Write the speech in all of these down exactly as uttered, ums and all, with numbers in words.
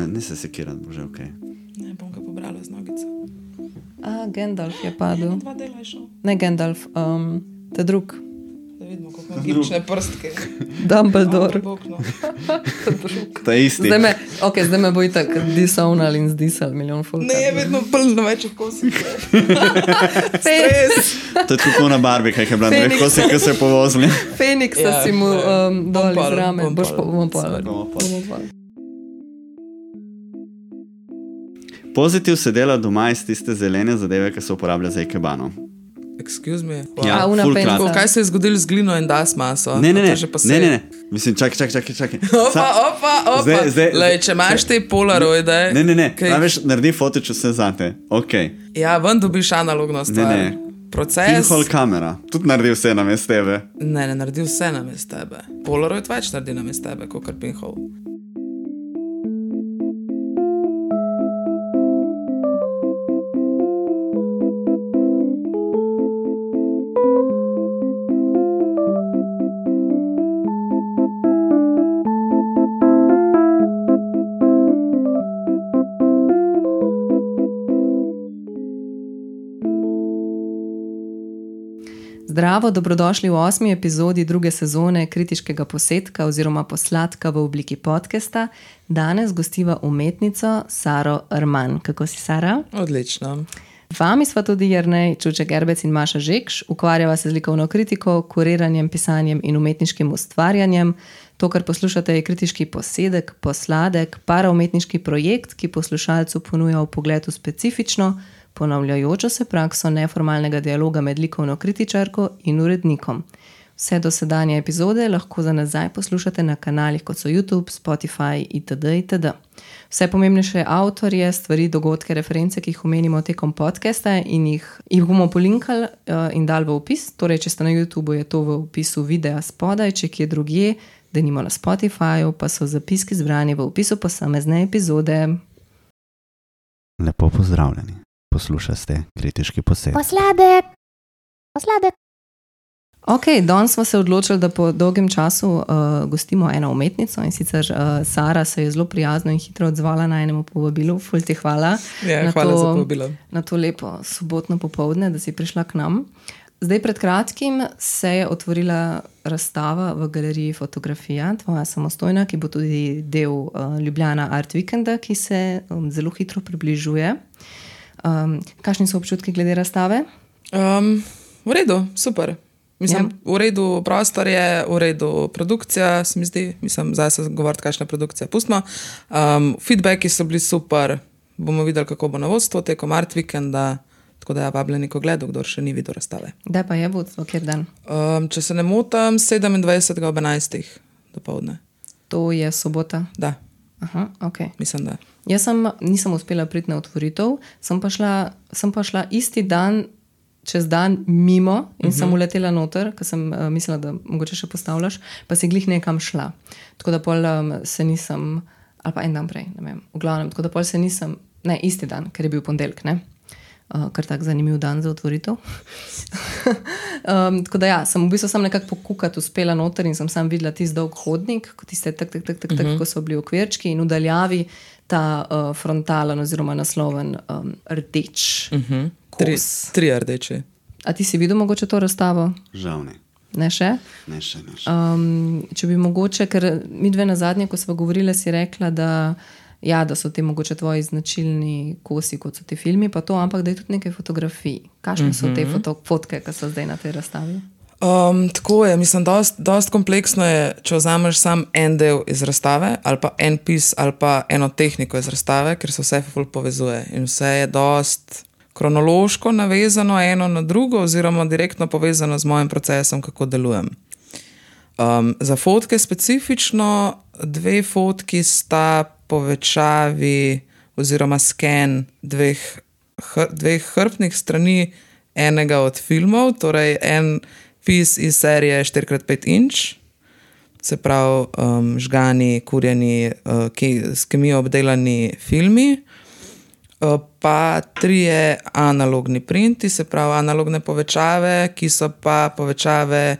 ne se sekirat, bože, okej. Okay. Ne, bom ga pobrala z nogico. A, Gandalf je padel. Ne, dva dela je šel. Ne Gandalf, um, te drug. Da vidimo, kako ima gibčne prstke. Dumbledore. Ta isti. Zdaj me, ok, zdaj me bo itak disovnal in zdisal milijon folk. Ne, je vedno plno več kosih. Stres. To je tako na Barbie, kaj je bila dveh kosih, ki se je povozili. Feniksa Ja, si mu um, dol bom iz pol, rame. bom Boš pa pol. bomo pol. Bomo pol. Bomo pol. Pozitiv se dela doma iz tiste zelene zadeve, ki se uporablja za ikebano. Excuse me. Ja, A, una full penca. krat. Kaj se je zgodilo z glino in das maso? Ne, ne, A to ne, že pa se- ne, ne, ne. Mislim, čakaj, čakaj, čakaj, čakaj. Opa, Sa- opa, opa. Zdaj- zdaj- Lej, če imaš te polaroide... Ne, ne, ne, kaj- največ naredi fotič vse zate. Ok. Ja, ven dobiš analogno stvar. Ne, ne. Proces... Pinhole kamera, tudi naredi vse na mest tebe. Ne, ne naredi vse namest tebe. Polaroid več naredi namest tebe, kot kar pinhole. Zdravo, dobrodošli v osmi epizodi druge sezone kritiškega posetka oziroma posladka v obliki podcasta. Danes gostiva umetnico Saro Erman. Kako si, Sara? Odlično. Vami sva tudi Jernej Čuček Erbec in Maša Žekš. Ukvarjava se z likovno kritiko, kuriranjem, pisanjem in umetniškim ustvarjanjem. To, kar poslušate, je kritiški posedek, posladek, paraumetniški projekt, ki poslušalcu ponuja vpogled v specifično, ponavljajočo se prakso neformalnega dialoga med likovno kritičarko in urednikom. Vse dosedanje epizode lahko za nazaj poslušate na kanalih kot so YouTube, Spotify itd. itd. Vse pomembnejše avtorje, stvari, dogodke, reference, ki jih omenimo tekom podcasta in jih, jih bomo polinkali uh, in dali v opis. Torej, če ste na YouTubeu, je to v opisu videa spodaj, če kje drugje, da nimo na Spotifyju, pa so zapiski zbrani v opisu posamezne epizode. Lepo pozdravljeni. Poslušate kritiški posed. Posladek, posladek. Ok, danes smo se odločili, da po dolgem času uh, gostimo eno umetnico in sicer uh, Sara se je zelo prijazno in hitro odzvala na enemu povabilu. Ful ti hvala, Ja, na, hvala to, za povabilo. na to lepo sobotno popoldne, da si prišla k nam. Zdaj pred kratkim se je otvorila razstava v galeriji Fotografija, tvoja samostojna, ki bo tudi del uh, Ljubljana Art Weekenda, ki se um, zelo hitro približuje. Um, kakšni so občutki glede razstave? Um, v redu, super. Mislim, Ja. v redu prostor je, v redu produkcija, se mi zdi. Mislim, zdaj se govoriti, kakšna produkcija. Pustimo. Um, feedbacki so bili super. Bomo videli, kako bo na vodstvo tekom Art Weekenda. Tako da ja, vabljeni ko gledu, kdor še ni videl razstave. Kdaj pa je vodstvo, kjer dan? Um, če se ne motam, sedemindvajsetega ob enajstih dopoldne. To je sobota. Da, Aha, ok. mislim, da. Jaz sem, nisem uspela priti na otvoritev, sem pa šla, sem pa šla isti dan, čez dan mimo in uh-huh. sem uletela noter, ker sem uh, mislila, da mogoče še postavljaš, pa si glih nekam šla. Tako da pol um, se nisem, ali pa en dan prej, ne vem, v glavnem, tako da pol se nisem, ne, isti dan, ker je bil ponedeljek, ne, uh, kar tak zanimiv dan za otvoritev. um, tako da ja, sem v bistvu sem nekako pokukati uspela noter in sem sam videla tisti dolg hodnik, ko tiste tak, tak, tak, tak, tak, uh-huh. ko so bili okvirčki in v daljavi ta uh, frontalen oziroma nasloven um, rdeč Uh-huh. Tri, kos. tri rdeči. A ti si videl mogoče to razstavo? Žal ne. Ne še? Ne še, ne še. Um, če bi mogoče, ker mi dve na zadnje, ko smo govorili, si rekla, da, ja, da so ti mogoče tvoji značilni kosi, kot so ti filmi, pa to, ampak da je tudi nekaj fotografij. Kakšne so te foto, fotke, ki so zdaj na tej razstavi? Um, tako je, mislim, dost, dost kompleksno je, če vzameš sam en del iz razstave, ali pa en pis, ali pa eno tehniko iz razstave, ker se vse ful povezuje in vse je dost kronološko navezano eno na drugo oziroma direktno povezano z mojim procesom, kako delujem. Um, za fotke specifično, dve fotki sta povečavi oziroma sken dveh, hr, dveh hrbtnih strani enega od filmov, torej en pis iz serije štiri krat pet inč, se pravi um, žgani, kurjeni, uh, ki, s kemijo obdelani filmi, uh, pa trije analogni printi, se pravi analogne povečave, ki so pa povečave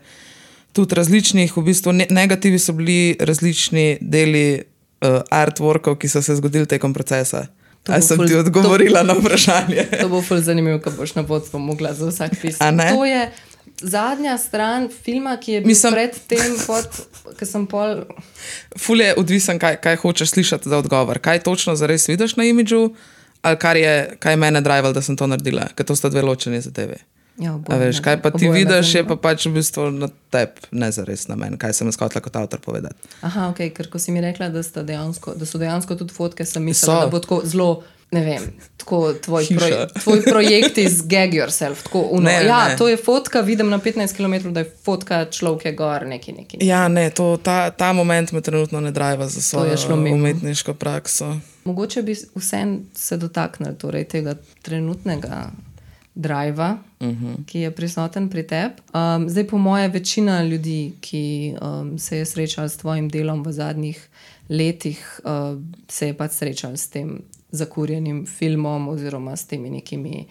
tudi različnih, v bistvu ne, negativi so bili različni deli uh, artworkov, ki so se zgodili tekom procesa. To Ali bo sem ful- ti odgovorila na vprašanje? To bo ful zanimivo, ko boš na vodstvo mogla za vsak pis. A ne? To je zadnja stran filma, ki je bil Mislim- pred tem, pod, ko sem pol... Ful je odvisen, kaj, kaj hočeš slišati za odgovor. Kaj točno zares vidiš na imidžu, ali kar je, kaj je mene drival, da sem to naredila, ker to sta dve ločeni zadeve. Ja, A oboje veš, me- kaj pa ti oboje me vidiš, je zanima. pa pač v bistvu na tebi, ne zares na meni, kaj sem skotla kot avtor povedati. Aha, ok, ker ko si mi rekla, da, sta dejansko, da so dejansko tudi fotke, sem So. mislila, da bo tako zelo, ne vem, tako tvoj, Hiša. proj, tvoj projekt iz Gag Yourself. Tako uno. Ne, Ja, ne. to je fotka, vidim na petnajst kilometrov, da je fotka človek gor, neki neki. Ja, ne, to, ta, ta moment me trenutno ne driva za je svojo šlo mimo. umetniško prakso. Mogoče bi vsem se dotaknili torej, tega trenutnega driva, uh -huh. ki je prisoten pri tebi. Um, zdaj, po moje, večina ljudi, ki um, se je srečala s tvojim delom v zadnjih letih, uh, se je pač srečala s tem zakurjenim filmom oziroma s temi nekimi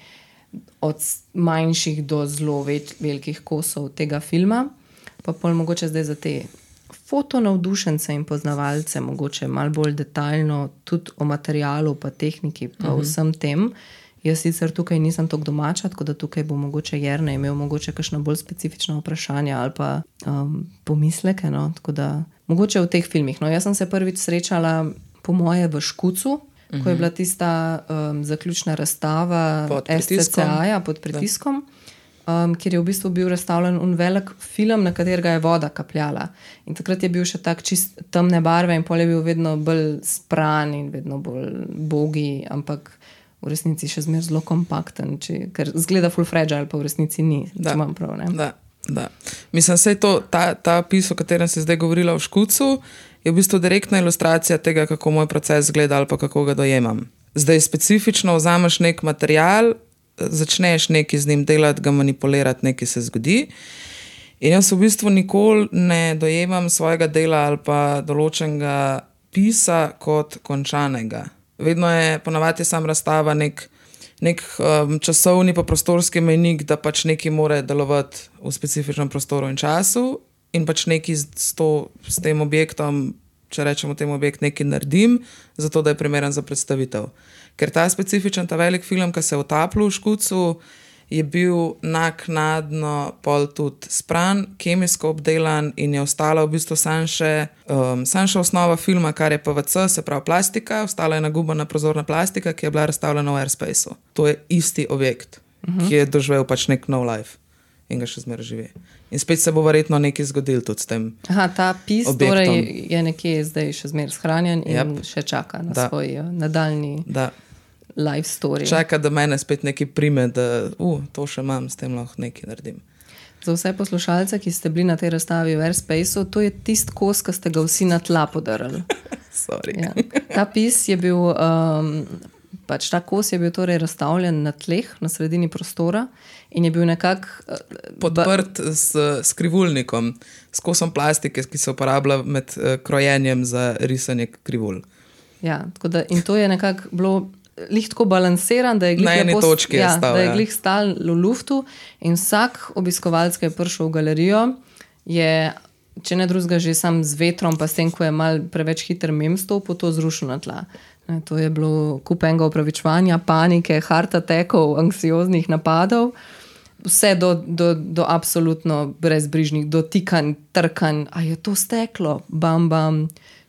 od manjših do zelo več, velikih kosov tega filma. Pa pol mogoče zdaj za te fotonavdušence in poznavalce, mogoče malo bolj detaljno, tudi o materialu, pa tehniki, pa uh -huh. vsem tem. Jaz sicer tukaj nisem tako domača, tako da tukaj bo mogoče Jernej imel mogoče kakšna bolj specifična vprašanja ali pa um, pomisleke. No? Tako da mogoče v teh filmih. No, jaz sem se prvič srečala, po moje, v Škucu, uh -huh. ko je bila tista um, zaključna razstava Pod S C C A-ja pod pritiskom. Um, kjer je v bistvu bil razstavljen un velik film, na katerega je voda kapljala. In takrat je bil še tak čist temne barve in pol je bil vedno bolj spran in vedno bolj bogi, ampak v resnici še zmeraj zelo kompakten, če, ker zgleda full fragile, pa v resnici ni, Da. če imam prav. Ne? Da, da. Mislim, da je to, ta, ta pis, o katerem si zdaj govorila v Škucu, je v bistvu direktna ilustracija tega, kako moj proces zgleda ali pa kako ga dojemam. Zdaj specifično vzameš nek material, začneš nekaj z njim delati, ga manipulirati, nekaj se zgodi. In jaz v bistvu nikoli ne dojemam svojega dela ali pa določenega pisa kot končanega. Vedno je ponavadi sam razstava nek, nek um, časovni pa prostorski mejnik, da pač nekaj mora delovati v specifičnem prostoru in času in pač nekaj s, s, to, s tem objektom, če rečemo temu objekt, nekaj naredim, zato da je primeren za predstavitev. Ker ta specifičen, ta velik film, ki se je utapljal v Škucu, je bil naknadno pol tudi spran, kemijsko obdelan in je ostala v bistvu samo še, um, sam še osnova filma, kar je P V C, se pravi plastika, ostala je nagubana prozorna plastika, ki je bila razstavljena v Airspaceu. To je isti objekt, uh-huh. ki je doživel pač nek nov life in ga še zmeraj živi. In spet se bo verjetno nekaj zgodil tudi s tem. Aha, ta pis objektom. torej je nekje zdaj še zmeraj shranjen in Yep. še čaka na Da. svoj uh, nadaljni Da. life story. Čaka, da mene spet nekaj prime, da uh, to še imam, s tem lahko nekaj naredim. Za vse poslušalce, ki ste bili na tej razstavi v Airspaceu, to je tisti kos, ki ste ga vsi na tla podarili. Sorry. Ja. Ta pis je bil, um, pač ta kos je bil torej razstavljen na tleh, na sredini prostora in je bil nekako uh, Podprt s skrivulnikom, s kosom plastike, ki se uporablja med uh, krojenjem za risanje krivul. Ja, tako da, in to je nekako bilo lih tako balansiran, da je glih Na eni lepo- točki je ja, stal, da je ja. glih stal v luftu in vsak obiskovalec, ki je prišel v galerijo, je, če ne drugega, že sam z vetrom, pa s tem, ko je mal preveč hiter mem stopil, to zrušil na tla. Ne, to je bilo kup enega opravičevanja, panike, heart attackov, anksioznih napadov, vse do, do, do absolutno brezbrižnih dotikanj, trkanj, a je to steklo, bam, bam,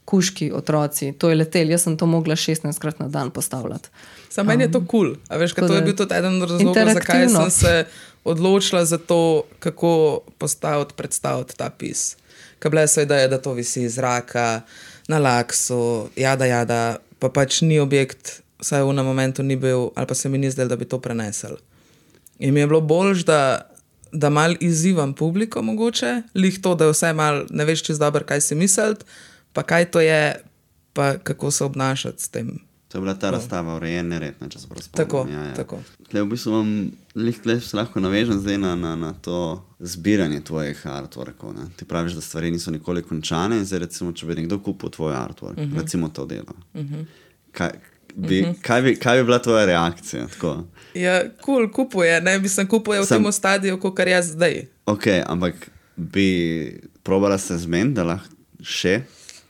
kuški otroci, to je letel, jaz sem to mogla šestnajstkrat na dan postavljati. Sam meni je to kul, cool. A veš, tako to je da- bil tudi eden od razlogov, zakaj Interaktivno. sem se odločila za to, kako postaviti, predstaviti ta pis. Ker bile so ideje, da to visi iz zraka, na laksu, jada, jada, pa pač ni objekt, vsaj v enem momentu ni bil, ali pa se mi ni zdelo, da bi to prenesel. In mi je bilo bolj, da, da mal izzivam publiko mogoče, lih to, da vse mal ne veš čez dobro, kaj si misliti, pa kaj to je, pa kako se obnašati s tem. To je bila ta razstava urejene redne, če se prav spomnim. Tako, ja, ja. tako. Tle, v bistvu vam lih, tle se lahko navežem zdaj na, na, na to zbiranje tvojih artworkov. Ne? Ti praviš, da stvari niso nikoli končane in zdaj recimo, če bi nekdo kupil tvoj artwork, uh -huh. recimo to delo. Uh -huh. kaj, bi, uh -huh. kaj, bi, kaj bi bila tvoja reakcija? Tako? Ja, kul, cool, kupuje, ne bi sem kupuje v Sam- tem stadiju, kot kar jaz zdaj. Ok, ampak bi probala se zmeniti, da lahko še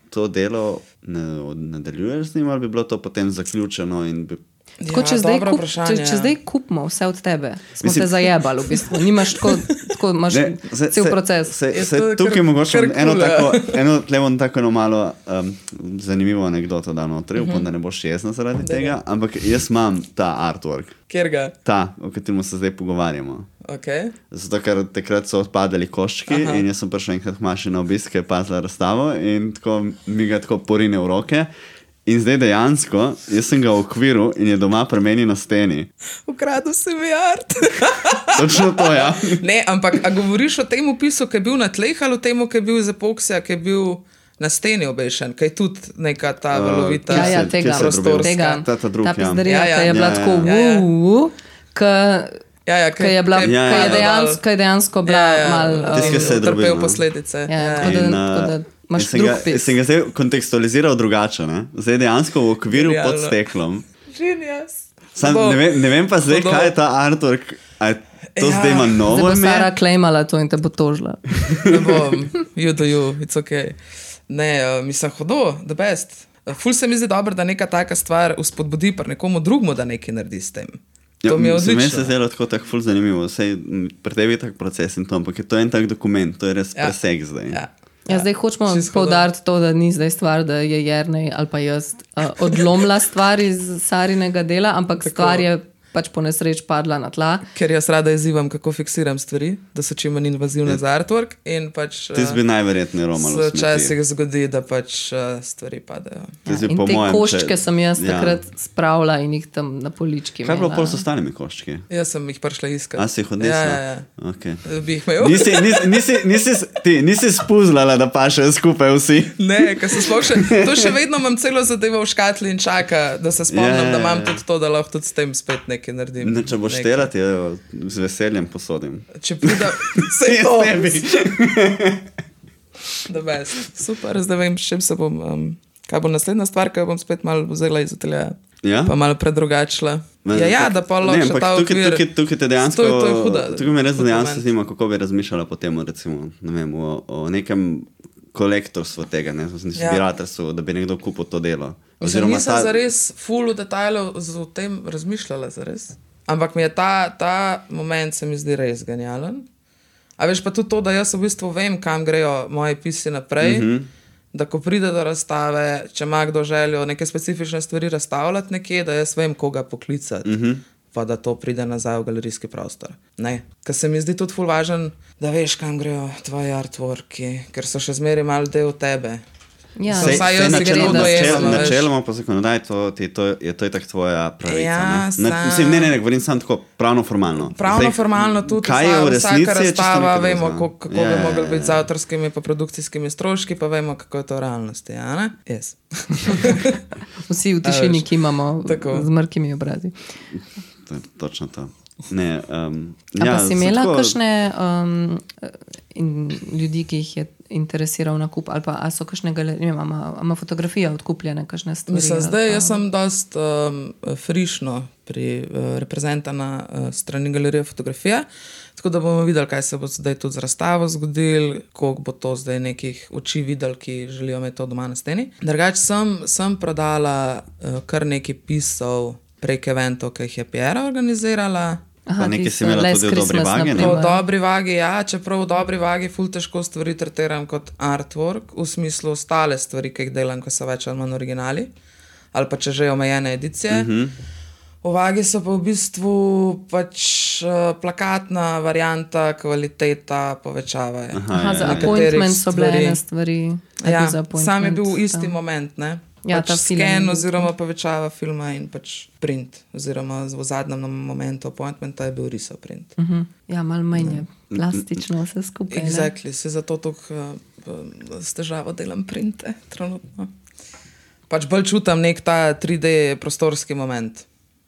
to delo ne, nadaljuješ z njim, ali bi bilo to potem zaključeno in bi... Tako, če, Ja, zdaj dobro kup, vprašanje. če, če zdaj kupimo vse od tebe, smo Mislim- te zajebali v bistvu. Nimaš tako, tako imaš Ne, se- cel se- proces. Se, Je se, to tukaj kar- mogoče kar eno kul, ja. tako, eno, tle bom tako eno malo um, zanimivo anekdoto dal notri, upam, da ne boš jezna zaradi tega, ampak jaz imam ta artwork, Kjer ga? ta, o katerem se zdaj pogovarjamo. Okay. Zato, ker takrat so odpadali koščki Aha. in jaz sem prišel enkrat k Maši na obisk, ki je pazila razstavo in tako mi ga tako porine v roke. In zdaj dejansko, jaz sem ga v okviru in je doma pri meni na steni. Ukradel si mi art. Točno to, ja. Ne, ampak a govoriš o tem opisu, ki je bil na tleh ali o tem, ki je bil iz epoksija, ki je bil na steni obešen, ki je tudi neka ta Uh, valovita Ja, ja, Kje se- tega, kje se je drobil? prostorska. tega. Ta- ta drug, ta ja. pizdarija, Ja, ja. ki je bila Ja, ja. tako Ja, ja. uu, ki Ja, ja, ki je, bila, ki ki Ja, je, ja. dejansko, ki je dejansko bila Ja, ja. mal Tisti, ki um, se je drobil, trpel no. posledice. Ja, Ja, tako da- In, tako da uh, imaš jaz sem drug ga- pis. jaz sem ga zdaj kontekstualiziral drugače. Ne? Zdaj dejansko v okviru Genialno. pod steklom. Genius. Sam, Bo- ne, vem, ne vem pa zdaj, Hudo. kaj je ta artwork. A to Ja. zdaj ima Zdaj novo bo ime? Sara klejmala to in te bo tožila. Ne bom, you do you, it's ok. Ne, uh, mislim, hodo, the best. Uh, Ful se mi zdi dobro, da neka taka stvar uspodbudi pri nekomu drugemu, da nekaj naredi s tem. To Ja, mi je mislim, meni odlično. se zdelo tako tak ful zanimivo. Sej, m, pri tebi je tak proces in to, ampak je to en tak dokument, to je res Ja. preseg zdaj. Ja. Ja, zdaj hočemo Čisto poudariti to, da ni zdaj stvar, da je Jernej ali pa jaz uh, odlomila stvar iz Sarinega dela, ampak Tako. stvar je pač po nesreč padla na tla. Ker jaz rada izzivam, kako fiksiram stvari, da so čim manj invazivne za artwork. In pač Ti bi najverjetneje romal v se smeti. včasih zgodi, da pač uh, stvari padejo. Ti si Ja, in po te mojem, koščke če- sem jaz ja. takrat spravila in jih tam na polički. Kaj je bilo imela. pol s ostalimi koščki? Jaz sem jih prišla iskati. A si jih odnesla? Ja, ja, ja. Okay. Bi jih imel? Nisi, nisi, nisi, nisi, ti, nisi spuzlala, da pašejo skupaj vsi. Ne, ker se sploh še, to še vedno imam celo zadevo v škatli in čaka, da se spomnim, Ja, ja, da imam ja. tudi to, da lahko tudi s tem spet nekaj naredim. Ne, če boš Nekaj. štelati, jo z veseljem posodim. Če pride, se je Jaz to. ne bi. The best. Super, zdaj vem, s čim se bom, um, kaj bo naslednja stvar, ki jo bom spet malo vzela iz ateljeja. Ja? Pa malo predrugačila. Ja, ja, da pa Ne, lahko še ampak ta tukaj, okvir. tukaj, tukaj te dejansko, To je- to je huda- tukaj me res hud dejansko moment. zanima, kako bi razmišljala potem recimo, ne vem, o, o nekem kolektorstvu tega, ne, Ja. zbirateljstvu, da bi nekdo kupil to delo. Oziroma, nisem ta... zares full v detajlu o tem razmišljala, zares. Ampak mi je ta, ta moment se mi zdi res genialen. A veš pa tudi to, da jaz v bistvu vem, kam grejo moji pisi naprej. Mm -hmm. Da ko pride do razstave, če ima kdo željo neke specifične stvari razstavljati nekje, da jaz vem, koga poklicati. Mm -hmm. Pa da to pride nazaj v galerijski prostor. Ne. Ker se mi zdi tudi ful važen, da veš, kam grejo tvoji artworki, ker so še zmeraj mal del tebe. Ja, Sej- vsaj jaz si ga načeloma, to dojemam, načel, veš. načeloma po zakonodaji to, ti, to, je to itak tvoja pravica. Ja, ne? Ne, sam- mislim, ne, ne, ne, govorim samo tako pravno formalno. Pravno, Zdaj, formalno tudi kaj je v vsa- resnici, vsaka je čisto razstava, nekaj vemo, drugega. kako, kako Ja, bi ja, mogli ja, biti z ja. avtorskimi in produkcijskimi stroški, pa vemo, kako je to v realnosti. Ja, ne? Yes. Vsi v tišini, ki imamo Tako. z mrkimi obrazi. To je točno to. Ne, um, A ja, pa si imela tako- kakšne um, in ljudi, ki jih je interesiral nakup, ali pa a so kakšne galerije, ne vem, ima, ima fotografija odkupljene, kakšne stvari? Mislim, ali zdaj pa- jaz sem dost um, frišno pri uh, reprezentana uh, strani galerije fotografije, tako da bomo videli, kaj se bo zdaj tudi z razstavo zgodil, koliko bo to zdaj nekih oči videli, ki želijo imeti to doma na steni. Drugač sem, sem prodala uh, kar nekaj pisov prek eventov, ki jih je Piera organizirala. Aha, Pa nekaj tisto si imela Last tudi v dobri Christmas, vagi, ne? V na primer. dobri vagi, ja, čeprav v dobri vagi ful težko stvari tretiram kot artwork, v smislu ostale stvari, ki jih delam, ko so več ali manj originali, ali pa če že omejene edicije. Uh -huh. V vagi so pa v bistvu pač uh, plakatna varianta, kvaliteta, povečava. Aha, za Nekaterih appointment so bile stvari. ene stvari. A je Ja, bil za appointment, sam je bil v isti ja. moment, ne? Ja, pač ta film je scan bil- oziroma povečava filma in pač print, oziroma v zadnjem momentu appointmenta je bil risov print. Uh -huh. Ja, malo manj je plastično vse skupaj. ne? Exactly, se zato tako uh, s težavo delam printe, trenutno. Pač bolj čutim nek ta tri D prostorski moment,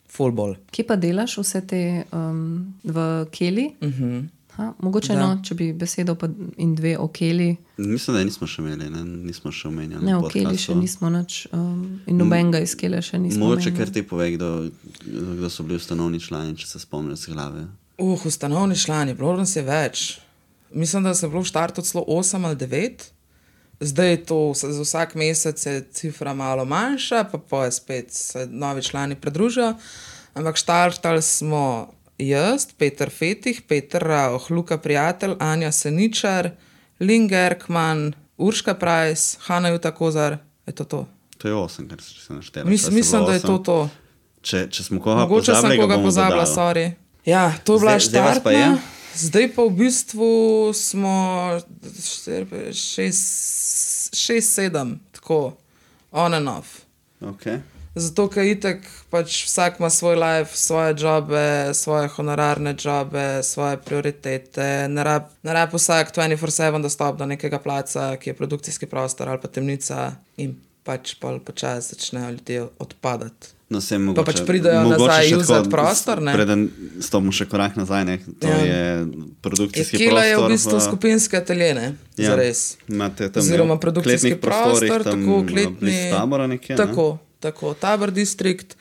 full ball. Kje pa delaš vse te um, v Keli? Uh -huh. Ha, mogoče no, če bi besedo pa in dve o Keli. Mislim, da nismo še imeli, ne? Nismo še omenjali. Ne, na o Keli podcastu. še nismo nič um, in nobenega iz Kele še nismo Mogoče omenjali. kar ti povej, kdo, kdo so bili ustanovni člani, če se spomniš z glave. Uh, ustanovni člani, bilo nas je več. Mislim, da se je bilo v štartu celo osem ali devet, zdaj to za vsak mesec je cifra malo manjša, pa pa je spet se novi člani pridružijo. Ampak štartali smo jaz, Peter Fetih, Peter Rauch, Luka Prijatelj, Anja Seničar, Lin Gerkman, Urška Price, Hanna Juta Kozar. Je to to? To je osem, kar se naštela. Mis, mislim, da je to to. Če, če smo koga Mogoče pozabili, sem koga pozabila, sorry. Ja, to je bila štartna. Zdaj pa v bistvu smo šest, šest, sedem, tako, on and off. Okay. Zato, ker itek pač vsak ima svoj life, svoje jobe, svoje honorarne jobe, svoje prioritete. Ne rab, ne rab vsak dvajset štiri sedem dostop do nekega placa, ki je produkcijski prostor ali pa temnica in pač pol počas začnejo ljudje odpadati. No, se mogoče, pa pač pridajo nazaj usati prostor, ne? Preden stopimo še korak nazaj, ne? To ja. je produkcijski je, prostor. Je v bistvu v... skupinske atelje, ne? Ja. Zares. Imate tam oziroma produkcijski prostor, tako kletni. Tabora nekje, tako, ne? Tako, Tabor distrikt.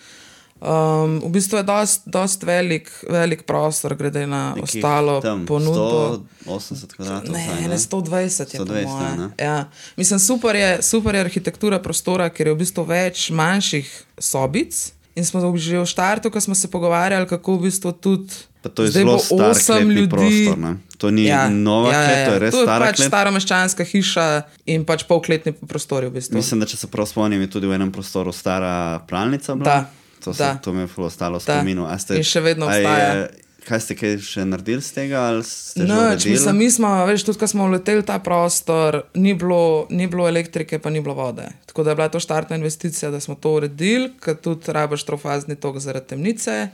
Um, v bistvu je dost, dost velik, velik prostor, glede na nekih ostalo tam, ponudbo. sto osemdeset kvadratov. Ne, saj, ne, sto dvajset je sto dvajset, po moje. ne? Ja. Mislim, super je, super je arhitektura prostora, ker je v bistvu več manjših sobic. In smo že v štartu, ko smo se pogovarjali, kako v bistvu tudi pa to je zelo star kletni prostor, ne? To ni ja, nova ja, klet, ja, ja. to je res to je stara pač klet. staromeščanska hiša in pač polkletni prostori v bistvu. Mislim, da če se prav spomnim, je tudi v enem prostoru stara pralnica bila. Da. To, se, to mi je ful ostalo v da. spominu. In še vedno obstaja. Kaj ste kaj še naredili z tega? Ali ste no, že mislim, mi smo, veš, tudi ko smo vleteli ta prostor, ni bilo, ni bilo elektrike, pa ni bilo vode. Tako da je bila to štartna investicija, da smo to uredili, ker tudi rabaš trofazni tok zaradi temnice,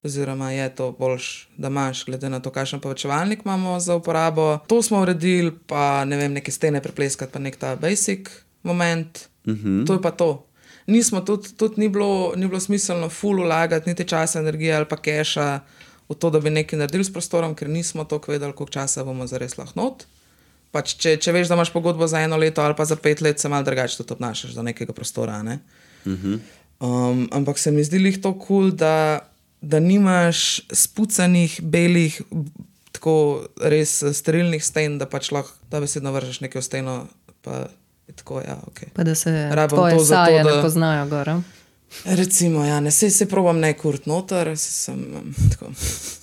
oziroma je to boljš, da imaš, glede na to, kakšen povečevalnik imamo za uporabo. To smo uredili, pa ne vem, neke stene prepleskati, pa nek ta basic moment. Uh-huh. To je pa to. Nismo, tudi, tudi ni bilo, ni bilo smiselno ful vlagati, niti časa, energije ali pa keša v to, da bi nekaj naredili s prostorom, ker nismo toliko vedeli, koliko časa bomo zares lahko not. Pač, če, če veš, da imaš pogodbo za eno leto ali pa za pet let, se malo drugače tudi obnašaš do nekega prostora. Ne? Uh-huh. Um, ampak se mi zdi lih to kul, cool, da, da nimaš spucanih, belih, tako res sterilnih sten, da pač lahko da besedno vržeš nekaj v steno, pa je tako, ja, ok. Pa da se Rabam tvoje to saje zato, da... ne poznajo gora. Recimo, ja, ne, se, se probam ne kurt noter, se sem tako...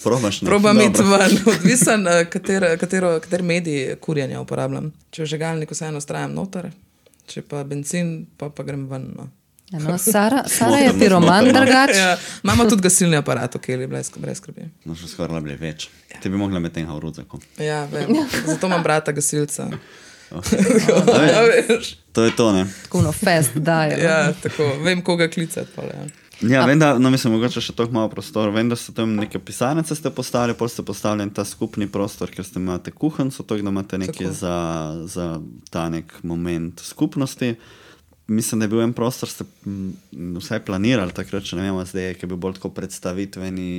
Probaš ne? Probam iti ven, odvisen, katero, katero, kater medij kurjenja uporabljam. Če v žegalniku vseeno strajam noter, če pa benzin, pa, pa grem ven, no. Ja, no, Sara, Sara je piroman drugač. Ja, imamo tudi gasilni aparat, ok, brez, brez skrbi. No, še skoraj bili več. Ja. Ti bi mogla med tem v rudzaku. Ja, vem, zato imam brata gasilca. Okay. No, ja, to je to, ne? Tako no fest daje. Ja, tako, vem, koga klicati. Pa, ja, ja vem, da, no mislim, mogoče še toliko malo prostor. Vem, da ste tam neke pisarnice ste postavili, pol ste postavili ta skupni prostor, ker ste imate kuhanco, to, da imate nekaj za, za ta nek moment skupnosti. Mislim, da je bil en prostor, ste vsaj planirali takrat, če ne vemo zdaj, ki je bil bolj tako predstavitveni,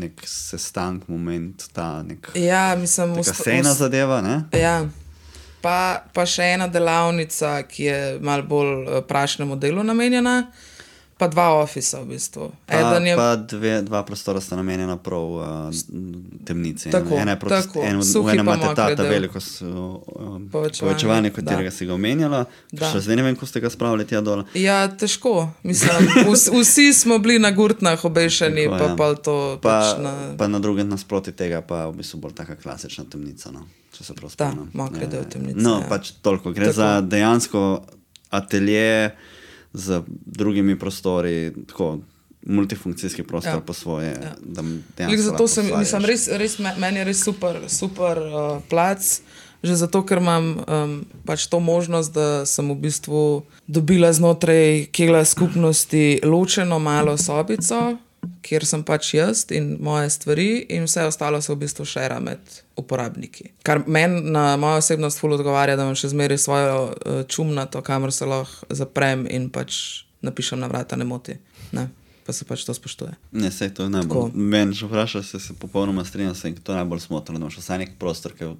nek sestank, moment, ta nek ja, mislim, taka sejna zadeva, ne? Ja. Pa, pa še ena delavnica, ki je malo bolj prašnemu delu namenjena, pa dva ofisa v bistvu. Pa, je... pa dve, dva prostora sta namenjena prav uh, temnici. Tako, ena je prost, tako. En, v enem imate ta, ta veliko uh, povečevanje, katerega si ga omenjala. Še zdaj ne vem, ko ste ga spravili tja dole. Ja, težko. Mislim, vs, vsi smo bili na gurtnah obešeni, tako, pa, ja. pa to pa, pač na... Pa na drugem nasproti tega pa v bistvu bolj taka klasična temnica, no. Če se prav spomnim. Da, mokre del temnice. No, ja. pač toliko. Gre tako. za dejansko atelje z drugimi prostori, tako multifunkcijski prostor ja. po svoje. Ja. Da zato sem, mislim, res, res, meni je res super, super uh, plac, že zato, ker imam um, pač to možnost, da sem v bistvu dobila znotraj kegla skupnosti ločeno malo sobico, kjer sem pač jaz in moje stvari in vse ostalo se v bistvu šera med uporabniki. Kar meni na mojo osebnost ful odgovarja, da imam še zmeraj svojo uh, čumnato, kamor se lahko zaprem in pač napišem na vrata, ne moti. Ne? Pa se pač to spoštuje. Ne, sej to je najbolj. Meni, če vprašaš, se, se popolnoma strinjam, se to je najbolj smotrno, da imaš vsaj nek prostor, ki je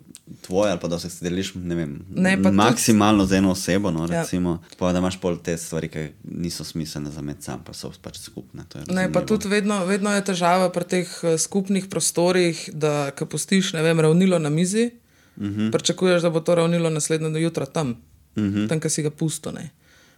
tvoj ali pa da se deliš, ne vem, ne, maksimalno tudi... z eno osebo, no, recimo, ja. Pa da imaš pol te stvari, ki niso smiselne za med sam, pa so pač skupne. To je ne, pa tudi vedno, vedno je težava pri teh skupnih prostorih, da ko pustiš, ne vem, ravnilo na mizi, uh-huh. pričakuješ, da bo to ravnilo naslednjo do jutra tam. mm-hmm. tam, ki si ga pusto. Ne.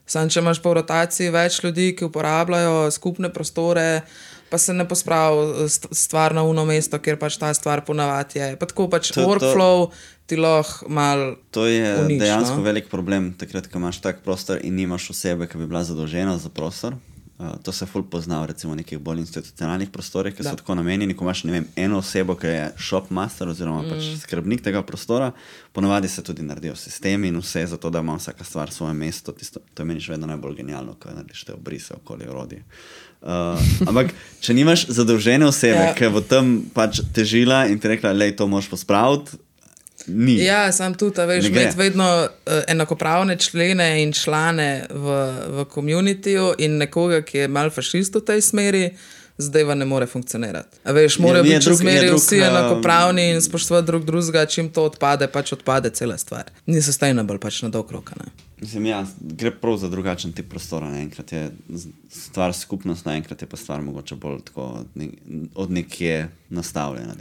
Sam, če imaš po rotaciji več ljudi, ki uporabljajo skupne prostore, pa se ne pospravi stvar na uno mesto, kjer pač ta stvar ponavadi je. Pa tako pač to, workflow to, ti lahko mal To je unič, dejansko no? velik problem, takrat, ko imaš tak prostor in nimaš osebe, ki bi bila zadolžena za prostor. Uh, to se ful pozna v recimo nekih bolj institucionalnih prostorih, ki so tako namenjeni, ko imaš, ne vem, eno osebo, ki je shop master oziroma mm. pač skrbnik tega prostora, ponavadi se tudi naredijo sistemi in vse, zato da ima vsaka stvar svoje mesto. Tisto, to meniš vedno najbolj genialno, ko narediš te obrise okoli orodje. Uh, ampak, če nimaš zadolžene osebe, ja. ki bo tam pač težila in ti rekla, lej, to moraš pospraviti, ni. Ja, sam tudi, veš, imeti vedno uh, enakopravne člene in člane v, v komunitiju in nekoga, ki je mal fašist v tej smeri, zdaj ne more funkcionirati. A veš, morajo biti v smeri vsi enakopravni in spoštovati drug drugega, čim to odpade, pač odpade cela stvar. Ni sustainable pač na dolg rok, ne. Mislim, ja, gre prav za drugačen tip prostora. Enkrat je stvar skupnost, naenkrat je pa stvar mogoče bolj tako od nekje nastavljena.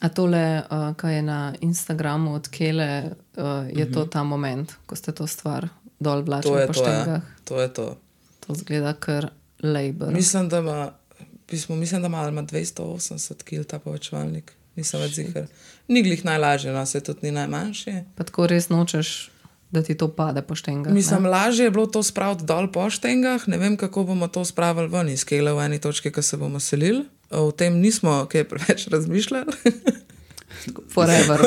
A tole, uh, kaj je na Instagramu od Kele, uh, je uh-huh. to ta moment, ko ste to stvar dol vlačili po štengah? To je to. To zgleda kar labor. Mislim, da ima, pismo, mislim, da ima, ima dvesto osemdeset kil ta povečevalnik. Nisem več ziher. Ni glih najlažje, no, se tudi ni najmanjši. Pa tako res nočeš, da ti to pade po štengah. Mislim, ne? Lažje je bilo to spraviti dol po štengah. Ne vem, kako bomo to spravili ven iz Kele v eni točki, ko se bomo selili. O tem nismo kaj preveč razmišljali. Forever.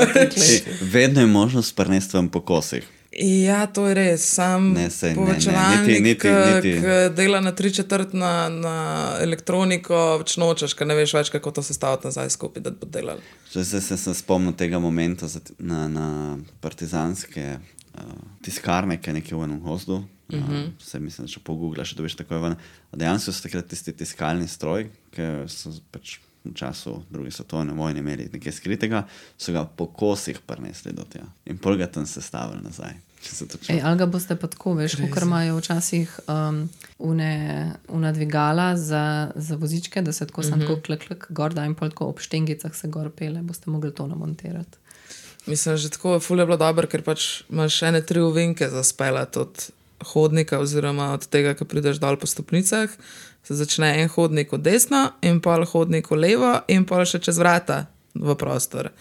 Vedno je možnost prenesti vam po kosih. Ja, to je res. Sam ne, sej, povečevalnik, ki dela na tri četrt na, na elektroniko, več nočeš, ker ne veš več, kako to sestaviti nazaj skupaj, da bo delali. Zdaj se sem spomnil tega momenta na, na partizanske uh, tiskarne, ki je nekje v enem gozdu. Uh-huh. Uh, vse mislim, da če pogooglaš, da veš tako ven. Dejansko so takrat tisti tiskalni stroj, ki so pač v času druge svetovne vojne imeli nekaj skritega, so ga po kosih prinesli do tega. In pol ga tam sestavili nazaj. Ej, ali ga boste pa tako, veš, kakor imajo včasih um, une, una dvigala za, za vozičke, da se tako uh-huh. sam tako klek, klek, gor da in pol tako ob štengicah se gor pele, boste mogli to namontirati. Mislim, že tako ful je bilo dobro, ker pač imaš ene tri ovinke za speljati od hodnika oziroma od tega, ko prideš dol po stopnicah, se začne en hodnik od desno in pol hodnik v levo in pol še čez vrata v prostor.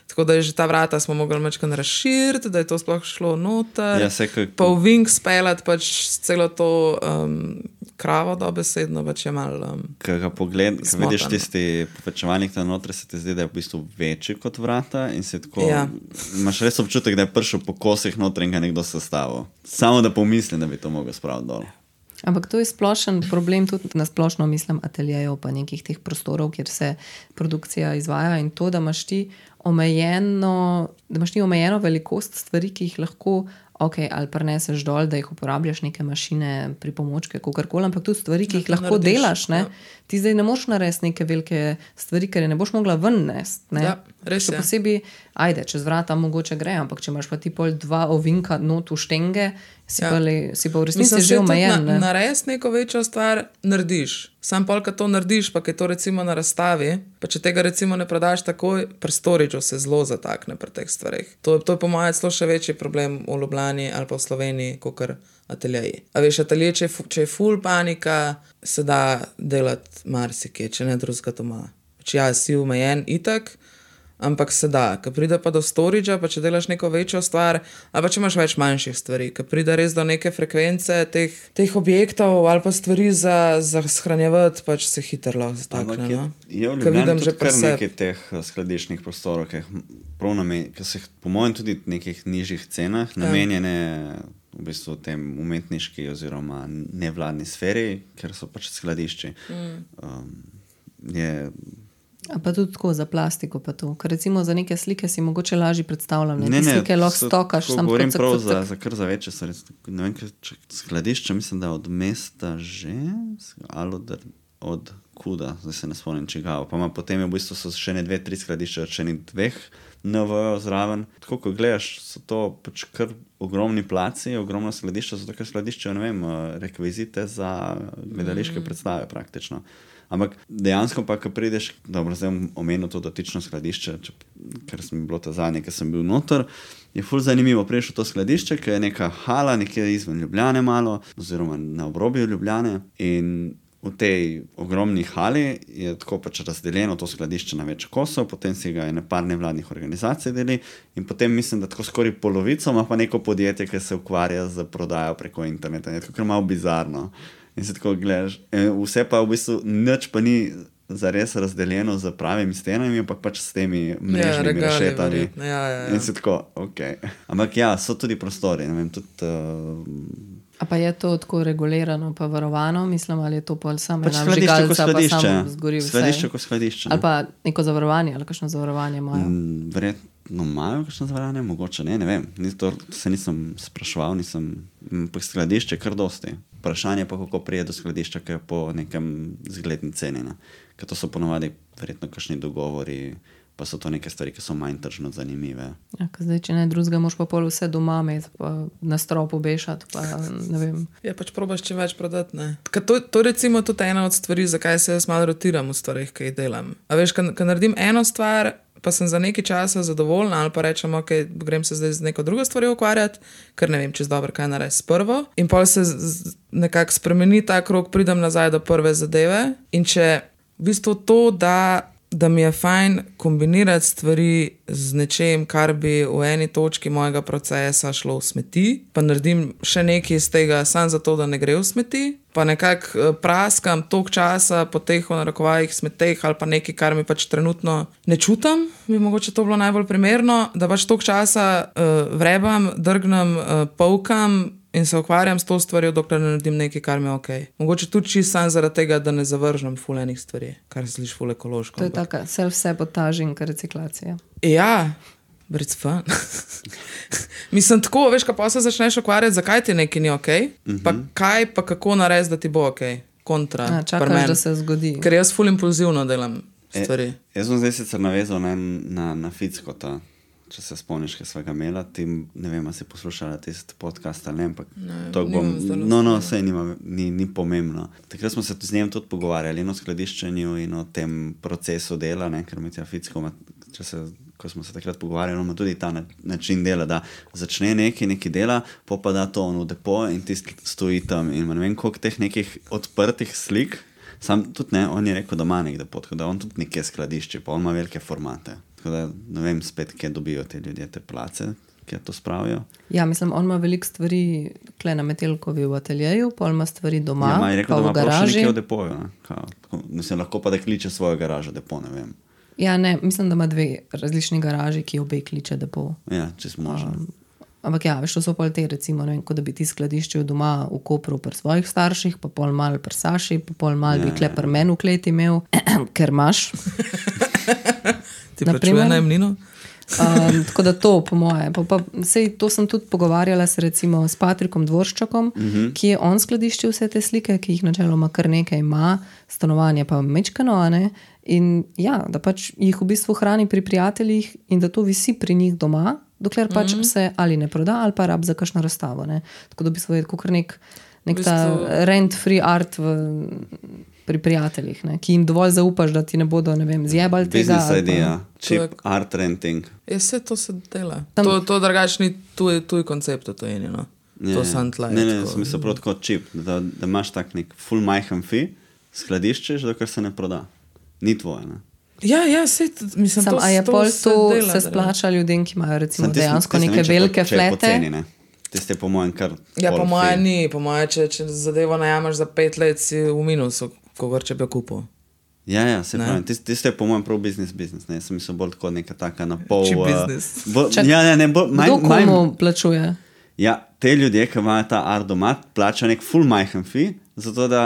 Tako da je že ta vrata smo mogli mečkan razširiti, da je to sploh šlo noter, ja, kako... pa v vink speljati pač celo to um, kravo dobesedno, pač je malo um, Ko ga pogled, ko vidiš tisti povečevalnik tam noter, se ti zdi, da je v bistvu večji kot vrata in si tako, ja. Imaš res občutek, da je prišel po kosih noter in ga nekdo sestavil. Samo da pomislim, da bi to mogel spraviti dol. Ampak to je splošen problem, tudi na splošno mislim ateljejev pa nekih teh prostorov, kjer se produkcija izvaja in to, da imaš ti omejeno, da imaš ti omejeno velikost stvari, ki jih lahko ok, ali prineseš dol, da jih uporabljaš neke mašine, pripomočke, kakorkoli, ampak tudi stvari, ki jih ja, lahko narediš, delaš, ne? Ja. Ti zdaj ne moš narediti neke velike stvari, ker je ne boš mogla ven nesti, ne? Ja, res je. Posebej, ajde, čez vrata mogoče gre, ampak če imaš pa ti pol dva ovinka not v štenge, si, ja. pa, le, si pa v resnici že omejen. Na, narediti neko večjo stvar narediš. Sam pol, kad to narediš, pa je to recimo na razstavi, pa če tega recimo ne prodaš takoj, pri storageu se zelo zatakne pri teh stvarih. To, to je po mojem celo še večji problem v Ljubljani ali pa v Sloveniji, kakor ateljeji. A veš, atelje, če, če je ful panika, se da delati marsikje, če ne drugega doma. Če ja, si omejen itak, ampak se da. Ko pride pa do storagea, pa če delaš neko večjo stvar, ali pa če imaš več manjših stvari, ko pride res do neke frekvence teh, teh objektov ali pa stvari za, za shranjevati, pač se hitro lahko zatakne. Je, no? je v Ljubljani tudi kar nekaj teh skladiščnih prostorov, ki so po mojem tudi nekih nižjih cenah namenjene v bistvu tem umetniški oziroma nevladni sferi, ker so pač skladišči. Mm. Um, je... A pa tudi tako za plastiko pa to. Ker recimo za neke slike si mogoče lažje predstavljam. Ne, ne, ne slike lahko stokaš. Sam govorim cak, prav cak, cak. Za, za kar za večje. Ne vem, če skladišče, mislim, da od mesta že, ali od, od Kuda, zdaj se ne spomnim čigava. Pa ima potem je v bistvu so še ne dve, tri skladišče, še ne dveh N V O zraven. Tako, ko gledaš, so to pač kar ogromni placi, ogromno skladišča, zato ker skladiščejo, ne vem, rekvizite za gledališke mm. predstave praktično. Ampak dejansko pa, ko prideš, dobro, zdaj omenil to dotično skladišče, če, ker sem bilo to zadnje, ker sem bil noter, je ful zanimivo prišel v to skladišče, ker je neka hala, nekje izven Ljubljane malo, oziroma na obrobju Ljubljane in v tej ogromni hali je tako pač razdeljeno to skladišče na več kosov, potem si ga je nepar nevladnih organizacij deli in potem mislim, da tako skoraj polovico ima pa neko podjetje, ki se ukvarja z prodajo preko interneta. Je tako malo bizarno. In se tako gledaš, vse pa v bistvu nič pa ni zares razdeljeno z pravimi stenami, ampak pač s temi mrežnimi ja, rešetami. Ja, ja, ja. In se tako, ok. Ampak ja, so tudi prostori, ne vem, tudi... Uh, A pa je to tako regulirano pa varovano, mislim, ali je to pol samo pač ena vžigalca, pa samo zgori vse? Skladišče kot skladišče. Ali pa neko zavarovanje, ali kakšno zavarovanje imajo? Mm, verjetno imajo kakšno zavarovanje, mogoče ne, ne vem. To se nisem spraševal, nisem... Pa skladišče kar dosti. Vprašanje pa, kako prije do skladišča, ki je po nekem zgledni ceni. Ne? Ker to so ponovadi verjetno kakšni dogovori, pa so to neke stvari, ki so manj tržno zanimive. Ja, zdaj, če ne drugega, moš pa pol vse doma imeti, pa na strop obešati, pa ne vem. Ja, pač probaš čim več prodati, ne. To, to recimo tudi ena od stvari, zakaj se jaz malo rotiram v stvarih, ki jih delam. A veš, ko naredim eno stvar, pa sem za nekaj časa zadovoljna, ali pa rečem, ok, grem se zdaj z neko drugo stvari ukvarjati, ker ne vem, čez dobro, kaj narediti s prvo. In pol se z, nekako spremeni ta krog, pridem nazaj do prve zadeve. In če v bistvu to, da da mi je fajn kombinirati stvari z nečem, kar bi v eni točki mojega procesa šlo v smeti, pa naredim še nekaj iz tega samo zato, da ne gre v smeti, pa nekako praskam toliko časa po teh v narekovajih smeteh ali pa nekaj, kar mi pač trenutno ne čutam, bi mogoče to bilo najbolj primerno, da pač toliko časa uh, vrebam, drgnem, uh, polkam in se ukvarjam s to stvarjo, dokler ne naredim nekaj, kar mi je ok. Mogoče tudi čisto sam zaradi tega, da ne zavržem ful enih stvari, kar se sliši ful ekološko. To je taka self-sabotažing reciklacija. Ja, but it's fun. Mislim, tako, veš, ko pa se začneš ukvarjati, zakaj ti nekaj ni ok, mm-hmm. pa kaj, pa kako narediti, da ti bo ok. Kontra. A, čakaš, da se zgodi. Ker jaz ful impulzivno delam stvari. E, jaz sem zdaj sicer navezal na, na, na Fickota. Če se spomniš, kaj svega imela, ti, ne vem, si poslušala tisti podcast ali ne, ampak to bom, no, no, vse ni, ni pomembno. Takrat smo se z njem tudi pogovarjali in o skladiščenju in o tem procesu dela, ne, ker Mitja Ficko, če se, ko smo se takrat pogovarjali, ima tudi ta način dela, da začne nekaj, nekaj dela, pa pa da to on v depo in tisti stoji tam in ne vem, koliko teh nekih odprtih slik, sam tudi ne, on je rekel, da ima nek depo, tako da on tudi nekje skladišče, pa on ima velike formate. Tako da ne vem spet, kje dobijo te ljudje te place, kje to spravijo. Ja, mislim, on ima veliko stvari kle na Metelkovi v ateljeju, pa ima stvari doma, ja, ma je rekel, pa v garaži. Ja, ima rekel, da ima v depoju, ne? Kao, mislim, lahko pa da kliče svojo garažo depo, ne vem. Ja, ne, mislim, da ima dve različni garaži, ki obe kliče depo. Ja, čisto možno. Um, ampak ja, veš, to so pol te, recimo, ne vem, kot da bi ti skladiščil doma v Kopru pri svojih starših, pa pol mal pri Saši, pa pol mal ja, bi kle pri meni v kleti imel, ker imaš. Ti plačuje najemnino? um, tako da to, po moje. Pa, pa, sej, to sem tudi pogovarjala se recimo s Patrikom Dvorščakom, uh-huh. ki je on skladiščil vse te slike, ki jih načeloma kar nekaj ima, stanovanje pa mečkano, ne? In ja, da pač jih v bistvu hrani pri prijateljih in da to visi pri njih doma, dokler pač uh-huh. se ali ne proda, ali pa rab za kakšno razstavo. Ne? Tako da v bistvu je kar nek, nek ta rent-free art v... pri prijateljih, ne? Ki jim dovolj zaupaš, da ti ne bodo, ne vem, zjebali tega. Business idea, cheap art renting. Je vse to se dela. Tam... To, to drugačni tuj, tuj koncept, to je eno. Yeah. To sem tlaj. Ne, ne, sem mislil prav tako cheap, da, da imaš tak nek full majhen fi, skladiščeš, dokler se ne proda. Ni tvoje, ne? Ja, ja, sej, mislim, Sam, to, a je to pol se to dela, se splača ljudem, ki imajo recimo tistim, dejansko tistim, neke ne, velike po, flete. Poceni, ne? Tiste po mojem kar... Ja, po mojem ni, po mojem, če, če zadevo najamaš za pet let, si v minusu, kogor če bi kupil. Ja, ja, se pravim, tiste je po mojem prav business business, ne, sem mislil bolj tako neka taka na pol... Cheap business. Bo, ja, ja, ne, bo, Kdo komu plačuje? Ja, te ljudje, ki imajo ta art doma, plačajo nek full majhen fi, zato da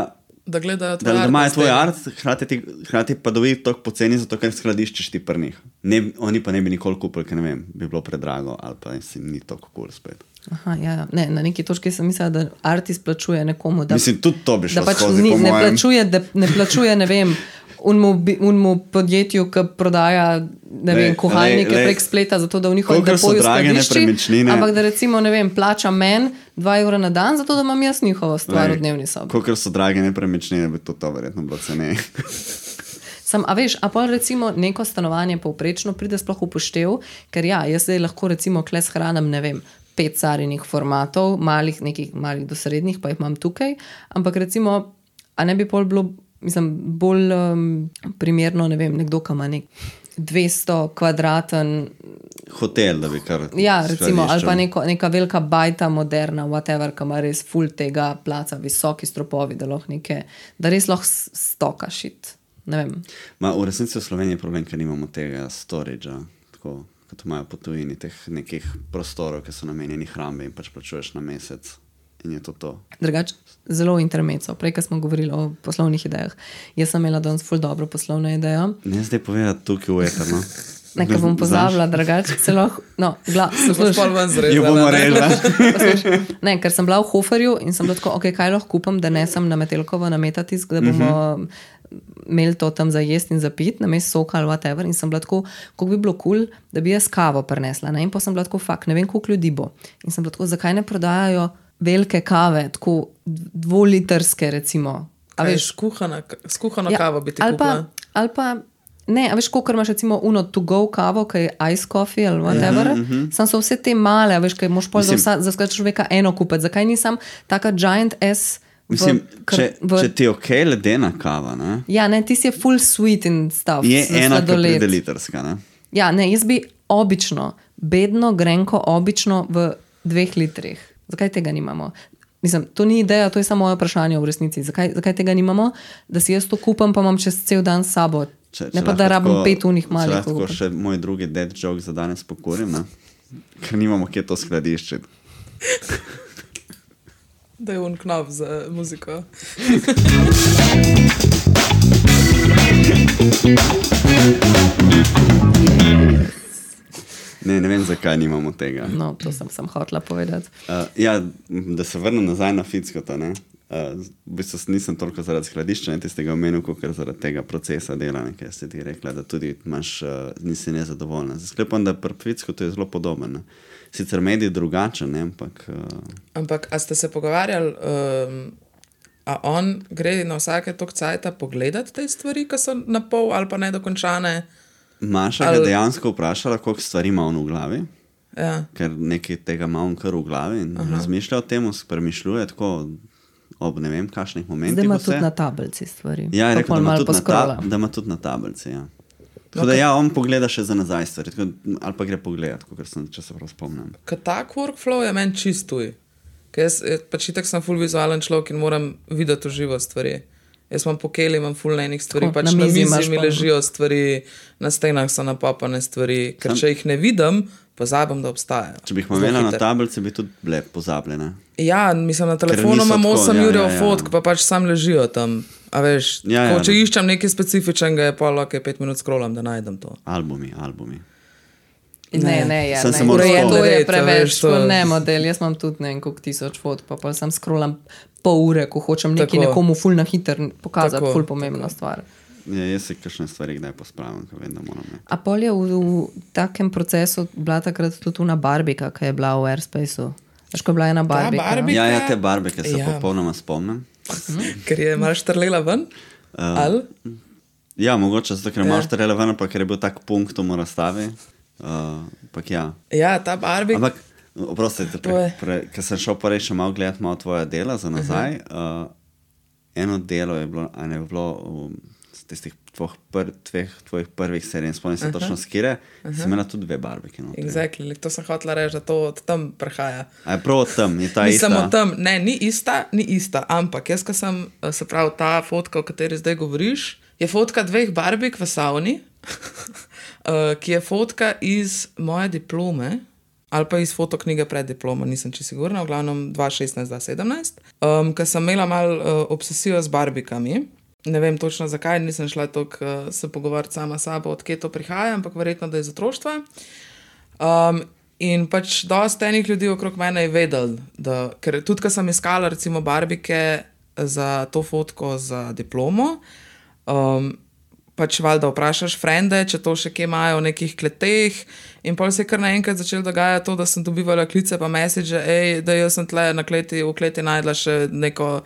da gledajo tvoj da, art. Da imajo tvoj art, hrati, hrati pa dobi toliko poceni, zato ker skladiščeš ti pri njih. Ne, oni pa ne bi nikoli kupili, ker ne vem, bi bilo predrago ali pa si ni toliko cool spet. Aha, ja, ne, na neki točki sem mislila, da art izplačuje nekomu, da, Mislim, tudi to bi šlo da pač skozi, ni, po ne, mojem. Plačuje, da, ne plačuje, ne vem, unmu, bi- unmu podjetju, ki prodaja ne vem, Lej, kuhalnike lej, lej. prek spleta, zato da v njihovem Kolikor so depoju drage skladišči, nepremičnine. ampak da recimo, ne vem, plača men dva evra na dan, zato da imam jaz njihovo stvar v dnevni sobi. Kolikor so drage nepremičnine, bi to, to verjetno bilo ceneje. Sam, a veš, a pol recimo neko stanovanje povprečno pride sploh upoštev, ker ja, jaz zdaj lahko recimo kle shranim, ne vem, pet carinih formatov, malih, nekih malih do srednjih, pa jih imam tukaj, ampak recimo, a ne bi pol bilo, mislim, bolj um, primerno, ne vem, nekdo, ki ima nek dvesto kvadraten, Hotel, da bi kar ja, recimo, ali pa skladiščil. neko, neka velika bajta, moderna, whatever, ki ima res full tega placa, visoki stropovi, da lahko neke, da res lahko s- stoka šit. Ne vem. Ma, v resnici v Sloveniji je problem, ker nimamo tega storagea, tako kot imajo po tujini, teh nekih prostorov, ki so namenjeni hrambi in pač plačuješ na mesec in je to to. Drugač, zelo intermeco. Prej, ko smo govorili o poslovnih idejah. Jaz sem imela danes ful dobro poslovno idejo. Ne zdaj povedati tukaj v eterno. Nekaj bom pozabila, drugač celo. No, gla, Boš posluš, pol ven zrezala. Jo bomo ne? režali. posluš. Ne, ker sem bila v Hoferju in sem bila tako, ok, kaj lahko kupam, da ne sem na Metelkovo na Metatisk, da bomo uh-huh. imeli to tam za jesti in za pit, namest soka ali whatever. In sem bila tako, kako bi bilo kul, cool, da bi jaz kavo prinesla. Ne? In pa sem bila tako, fakt, ne vem, koliko ljudi bo. In sem bila tako, zakaj ne prodajajo velike kave, tako dvolitrske recimo. A Kaj, veš, skuhana, skuhano ja, kavo bi ti ali pa, kupila. ali pa, ne, a veš, kolikor imaš recimo uno to go kavo, ki je ice coffee ali whatever, ja, uh-huh. sam so vse te male, a veš, kaj moš pol za, Mislim- vsa, za vsakega človeka eno kupiti. Zakaj nisem taka giant S v, Mislim, kar- če, v, če ti je ok ledena kava, ne, ja, ne, ti si je full sweet in stuff. je za ena, ki sladoled. pride litrska. Ne? Ja, ne, jaz bi obično, bedno, grenko, obično v dveh litrih. Zakaj tega nimamo? Mislim, to ni ideja, to je samo moje vprašanje v resnici. Zakaj, zakaj tega nimamo? Da si jaz to kupam, pa imam čez cel dan s sabo. Če, Ne če pa, lahko da rabim tako- pet unih malih. Če lahko kupim. še moj drugi dead joke za danes pokurim, ne? Ker nimamo kje to skladiščiti. Da je un knop za muziko. Ne, ne vem, zakaj nimamo tega. No, to sem, sem hotela povedati. Uh, ja, da se vrnem nazaj na Fickota. Ne? Uh, v bistvu nisem toliko zaradi skladišča tistega omenil, kot zaradi tega procesa dela, ker si ti rekla, da tudi imaš, uh, nisi nezadovoljna. Sklepam, da pri Fickotu je zelo podoben. Ne? Sicer medij drugačen, ne? ampak uh, Ampak, a ste se pogovarjali, um, a on gre na vsake tok cajta pogledati te stvari, ki so na pol ali pa nedokončane? Maša ga Ali- dejansko vprašala, koliko stvari ima on v glavi, Ja. ker nekaj tega ima on kar v glavi in Aha. razmišlja o tem, premišljuje tako ob ne vem, kakšnih momentih. Zdaj ima vse. tudi na tablici stvari. Ja, je Pa rekel, pol da ima, malo tudi na ta, poscrolla. da ima tudi na tablici. Ja. Tako okay. da ja, on pogleda še za nazaj stvari, tako, ali pa gre pogledat, kot sem, če se prav spomnim. Ker tak workflow je meni čist tuj. Ker jaz eh, pač itak sem full vizualen človek in moram videti v živo stvari. Jaz imam pokeli, imam full enih stvari, Tako, pač na na mizi mizi imaš mi pa- ležijo stvari, na stenah so napapane stvari, ker če jih ne vidim, pozabim, da obstajajo. Če bi jih Zelo imela na hitro. tablici, bi tudi bile pozabljene. Ja, mislim, na telefonu niso imam tako, osem ja, ur ja, ja. fotk, pa pač sam ležijo tam. A veš, Ja, ja, ko, če da. iščem nekaj specifičnega, je pa lahko pet minut scrollam, da najdem to. Albumi, albumi. Ne, ne, je, Sem ne. se moral Urejeno spomniti. je Red, a preveč, veš, to- to ne model. Jaz imam tudi ne vem koliko tisoč fotk, pa pa sam scrollam pol ure, ko hočem nekaj Tako. nekomu ful na hiter pokazati, Tako, ful pomembna stvar. Ja, jaz se kakšne stvari kdaj pospravim, ko vem, da moram ne. A pol je v, v takem procesu bila takrat tudi una Barbika, ki je bila v Airspaceu. Veš, ko je bila ena Barbika. Barbie- Ja, ja, te barbe, ki se Ja. ja. popolnoma spomnim. Ker je malo štrlela ven. Uh, Ali? Ja, mogoče zato, ker Ja. imaš ja. relevantno, pa ker je bil tak punkt v razstavi. Uh, ampak ja. Ja, ta Barbie. Ampak, oprostite, To je- pre, pre, ker sem šel prej še malo gledati malo tvoja dela za nazaj. Uh -huh. uh, eno delo je bilo, a ne je bilo um, z tistih tvojih, pr, tveh, tvojih prvih serij, spomnim se uh -huh. točno skire, uh -huh. si imela tudi dve barbiki. Exactly. To sem hotela reči, da to od tam prihaja. A je prav od tam, je ta Ni ista. samo tam, ne, ni ista, ni ista, ampak jaz, ko sem, eh, se pravi, ta fotka, o kateri zdaj govoriš, je fotka dveh barbik v savni, eh, ki je fotka iz moje diplome, ali pa iz fotoknjige pred diplomo, nisem čisto sigurna, v glavnem dva tisoč šestnajst dva tisoč sedemnajst, um, ker sem imela malo uh, obsesijo z barbikami. Ne vem točno zakaj, nisem šla toliko uh, se pogovarjati sama s sabo, odkje to prihaja, ampak verjetno, da je iz otroštva. Um, in pač dosti enih ljudi okrog mene je vedel, da, ker tudi, ko sem iskala recimo barbike za to fotko za diplomo, um, pač valjda vprašaš frende, če to še kje imajo v nekih kleteh. In pol se je kar naenkrat začelo dogajati to, da sem dobivala klice pa message, ej, da jaz sem tle na kleti, v kleti najdla še neko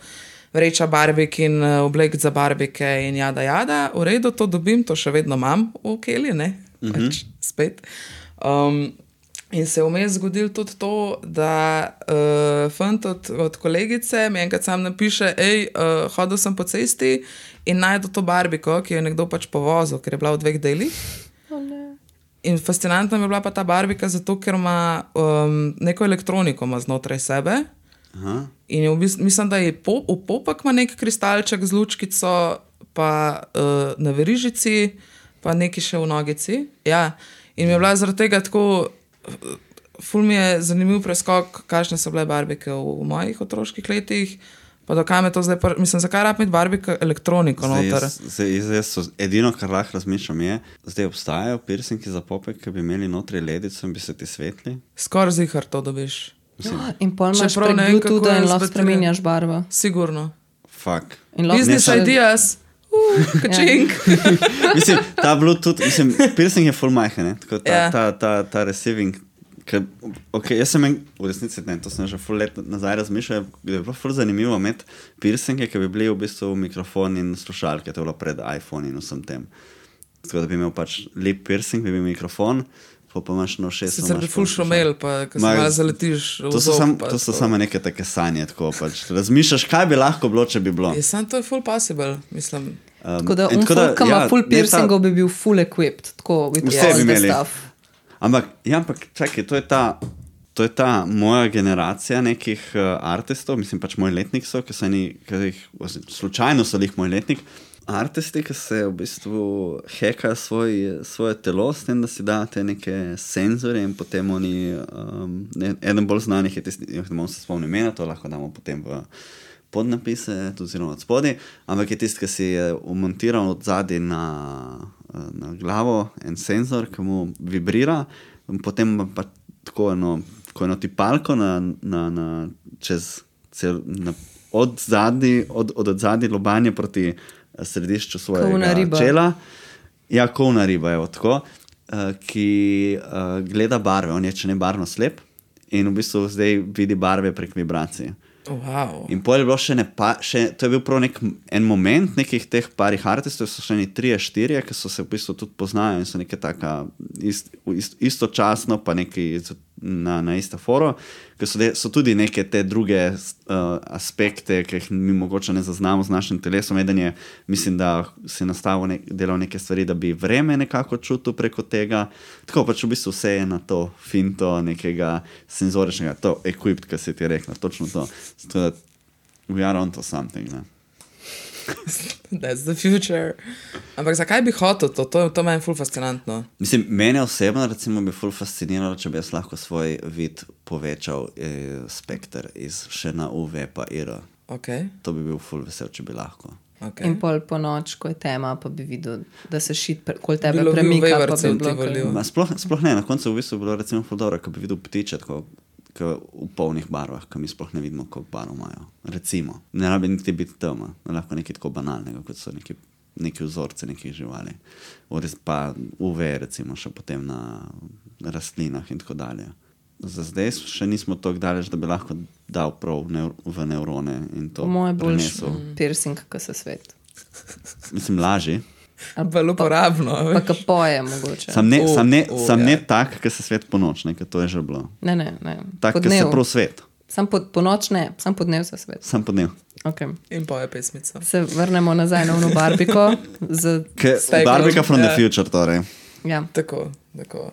vreča barbik in oblek za barbike in jada, jada. V redu, to dobim, to še vedno imam v keli, ne? Mm-hmm. Pač spet. Um, in se je vmes zgodilo tudi to, da uh, fant od, od kolegice mi enkrat sam napiše, ej, uh, hodil sem po cesti in najdu to barbiko, ki jo je nekdo pač povozil, ker je bila v dveh delih. Oh, ne. In fascinantna mi je bila pa ta barbika zato, ker ima um, neko elektroniko ima znotraj sebe. Aha. In je v bistvu, mislim, da je po, v popek ima nek kristalček z lučkico, pa uh, na verižici, pa neki še v nogici. Ja. In mi je bila zaradi tega tako, ful mi je zanimiv preskok, kakšne so bile barbike v, v mojih otroških letih. Pa do kam je to zdaj, pr... mislim, zakaj rab imeti barbika elektroniko noter? Zdaj, zdaj so, edino, kar lahko razmišljam je, zdaj obstajajo piercingi za popek, ki bi imeli notri ledico in bi se ti svetli. Skoraj zihar to dobiš. Ja, in pol imaš prek Bluetootha in lahko spreminjaš barvo. Sigurno. Fuck. Business ne, ideas. Uh, kačink. Mislim, ta Bluetooth, mislim, piercing je full majhen, ne? Tako ta, ja. ta, ta, ta receiving. Ker, okay, jaz sem en, v resnici ne, to sem že ful let nazaj razmišljal, da bi bilo ful zanimivo imeti piercinge, ki bi bili v bistvu mikrofon in slušalke, to je bilo pred iPhone in vsem tem. Tako da bi imel pač lip piercing, bi bil mikrofon, pa pa imaš na ušesu. Sicer bi ful šumel, pa ko se malo zaletiš v to so zob. Sam, to so to. Samo neke take sanje, tako pač. Razmišljaš, kaj bi lahko bilo, če bi bilo. Je sam to je ful possible, mislim. Um, tako da on folk, ki ima full piercingov, bi bil full equipped, tako with all the stuff. Ampak, ja, ampak, čakaj, to je ta, to je ta moja generacija nekih uh, artistov, mislim pač moj letnik so, ki so eni, ki jih, slučajno so jih moj letnik, artisti, ki se v bistvu hekajo svoj, svoje telo s tem, da si dajo te neke senzore in potem oni, um, ne, eden bolj znanih je tisti, ne bom se spomnil imena, to lahko damo potem v podnapise, tudi zelo od spodi, ampak je tisti, ki si je umontiral od zadaj na na glavo en senzor, ki mu vibrira, potem pa tako eno, tako eno tipalko na, na, na, čez cel, na, od zadnji, od, od, od zadnji lobanje proti središču svojega čela. Ja, kovna riba, evo, tako, uh, ki uh, gleda barve, on je če ne barvno slep in v bistvu zdaj vidi barve prek vibracije. Wow. In pol je bilo še ne pa, še, to je bil prav nek, en moment nekih teh parih artistov, so še ne trije, štirje, ki so se v bistvu tudi poznajo in so neke taka ist, ist, istočasno pa neki na, na ista foro, ki so, de, so tudi neke te druge uh, aspekte, ki jih mi mogoče ne zaznamo z našim telesom. Eden je, mislim, da si nastavil ne, delal neke stvari, da bi vreme nekako čutil preko tega. Tako pač v bistvu vse je na to finto nekega senzoričnega, to equipped, ki si ti rekla, točno to. Zato, we are onto something, ne? That's the future. Ampak zakaj bi hotel to? To, to meni ful fascinantno. Mislim, mene osebno recimo bi ful fasciniralo, če bi jaz lahko svoj vid povečal eh, spekter iz še na U V pa I R. Okay. To bi bil ful vesel, če bi lahko. Okay. In pol po noč, ko je tema, pa bi videl, da se šit, pre, kol tebe bilo premika, pa bi bilo... Sploh, sploh ne, na koncu v bistvu bilo recimo ful dobro, ko bi videl ptiče tako, v polnih barvah, ki mi sploh ne vidimo, koliko barv imajo. Recimo. Ne rabi niti biti tema, lahko nekaj tako banalnega, kot so neki, neki vzorce nekih živali. Ures pa U V, recimo, še potem na rastlinah in tako dalje. Za zdaj še nismo toliko daleč, da bi lahko dal prav neur, v neurone in to moje prenesel. Moje boljš piercing, ko se svet. Mislim, laži. Bolj uporabno. Pa, pa ka poje mogoče. Sam ne, oh, sam ne, oh, sam ja. ne tak, ki se svet po noč, ne, ker to je že bilo. Ne, ne, ne. Tak, ki se prav svet. Sam po, po noč ne, sam po dnev se svet. Sam po dnev. Okay. In poje pesmico. Se vrnemo nazaj na ono barbiko. Z... Barbika from yeah. the future, torej. Ja. Tako, tako.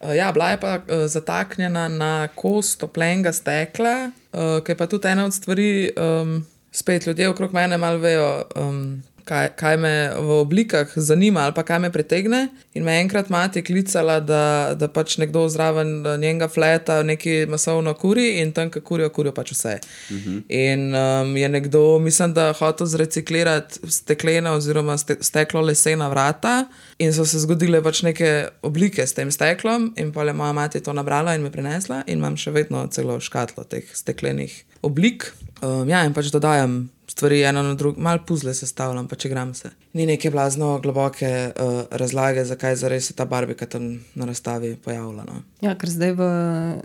Uh, ja, bila je pa uh, zataknjena na kos toplenega stekla, uh, ki je pa tudi ena od stvari, um, spet ljudje okrog mene malo vejo, um, kaj, kaj me v oblikah zanima ali pa kaj me pritegne. In me enkrat mati klicala, da, da pač nekdo zraven njenega fleta neki masovno kuri in tam, ki kurijo, kurijo pač vse. Uh-huh. In um, je nekdo, mislim, da hotel zreciklirati steklena oziroma ste, steklo lesena vrata in so se zgodile pač neke oblike s tem steklom in pa je moja mati to nabrala in me prinesla in imam še vedno celo škatlo teh steklenih oblik. Um, ja, in pač dodajam stvari eno na drugo, malo puzle sestavljam, pa če gram se. Ni neke blazno globoke uh, razlage, zakaj zares se ta barbika tam na razstavi pojavila. No. Ja, ker zdaj v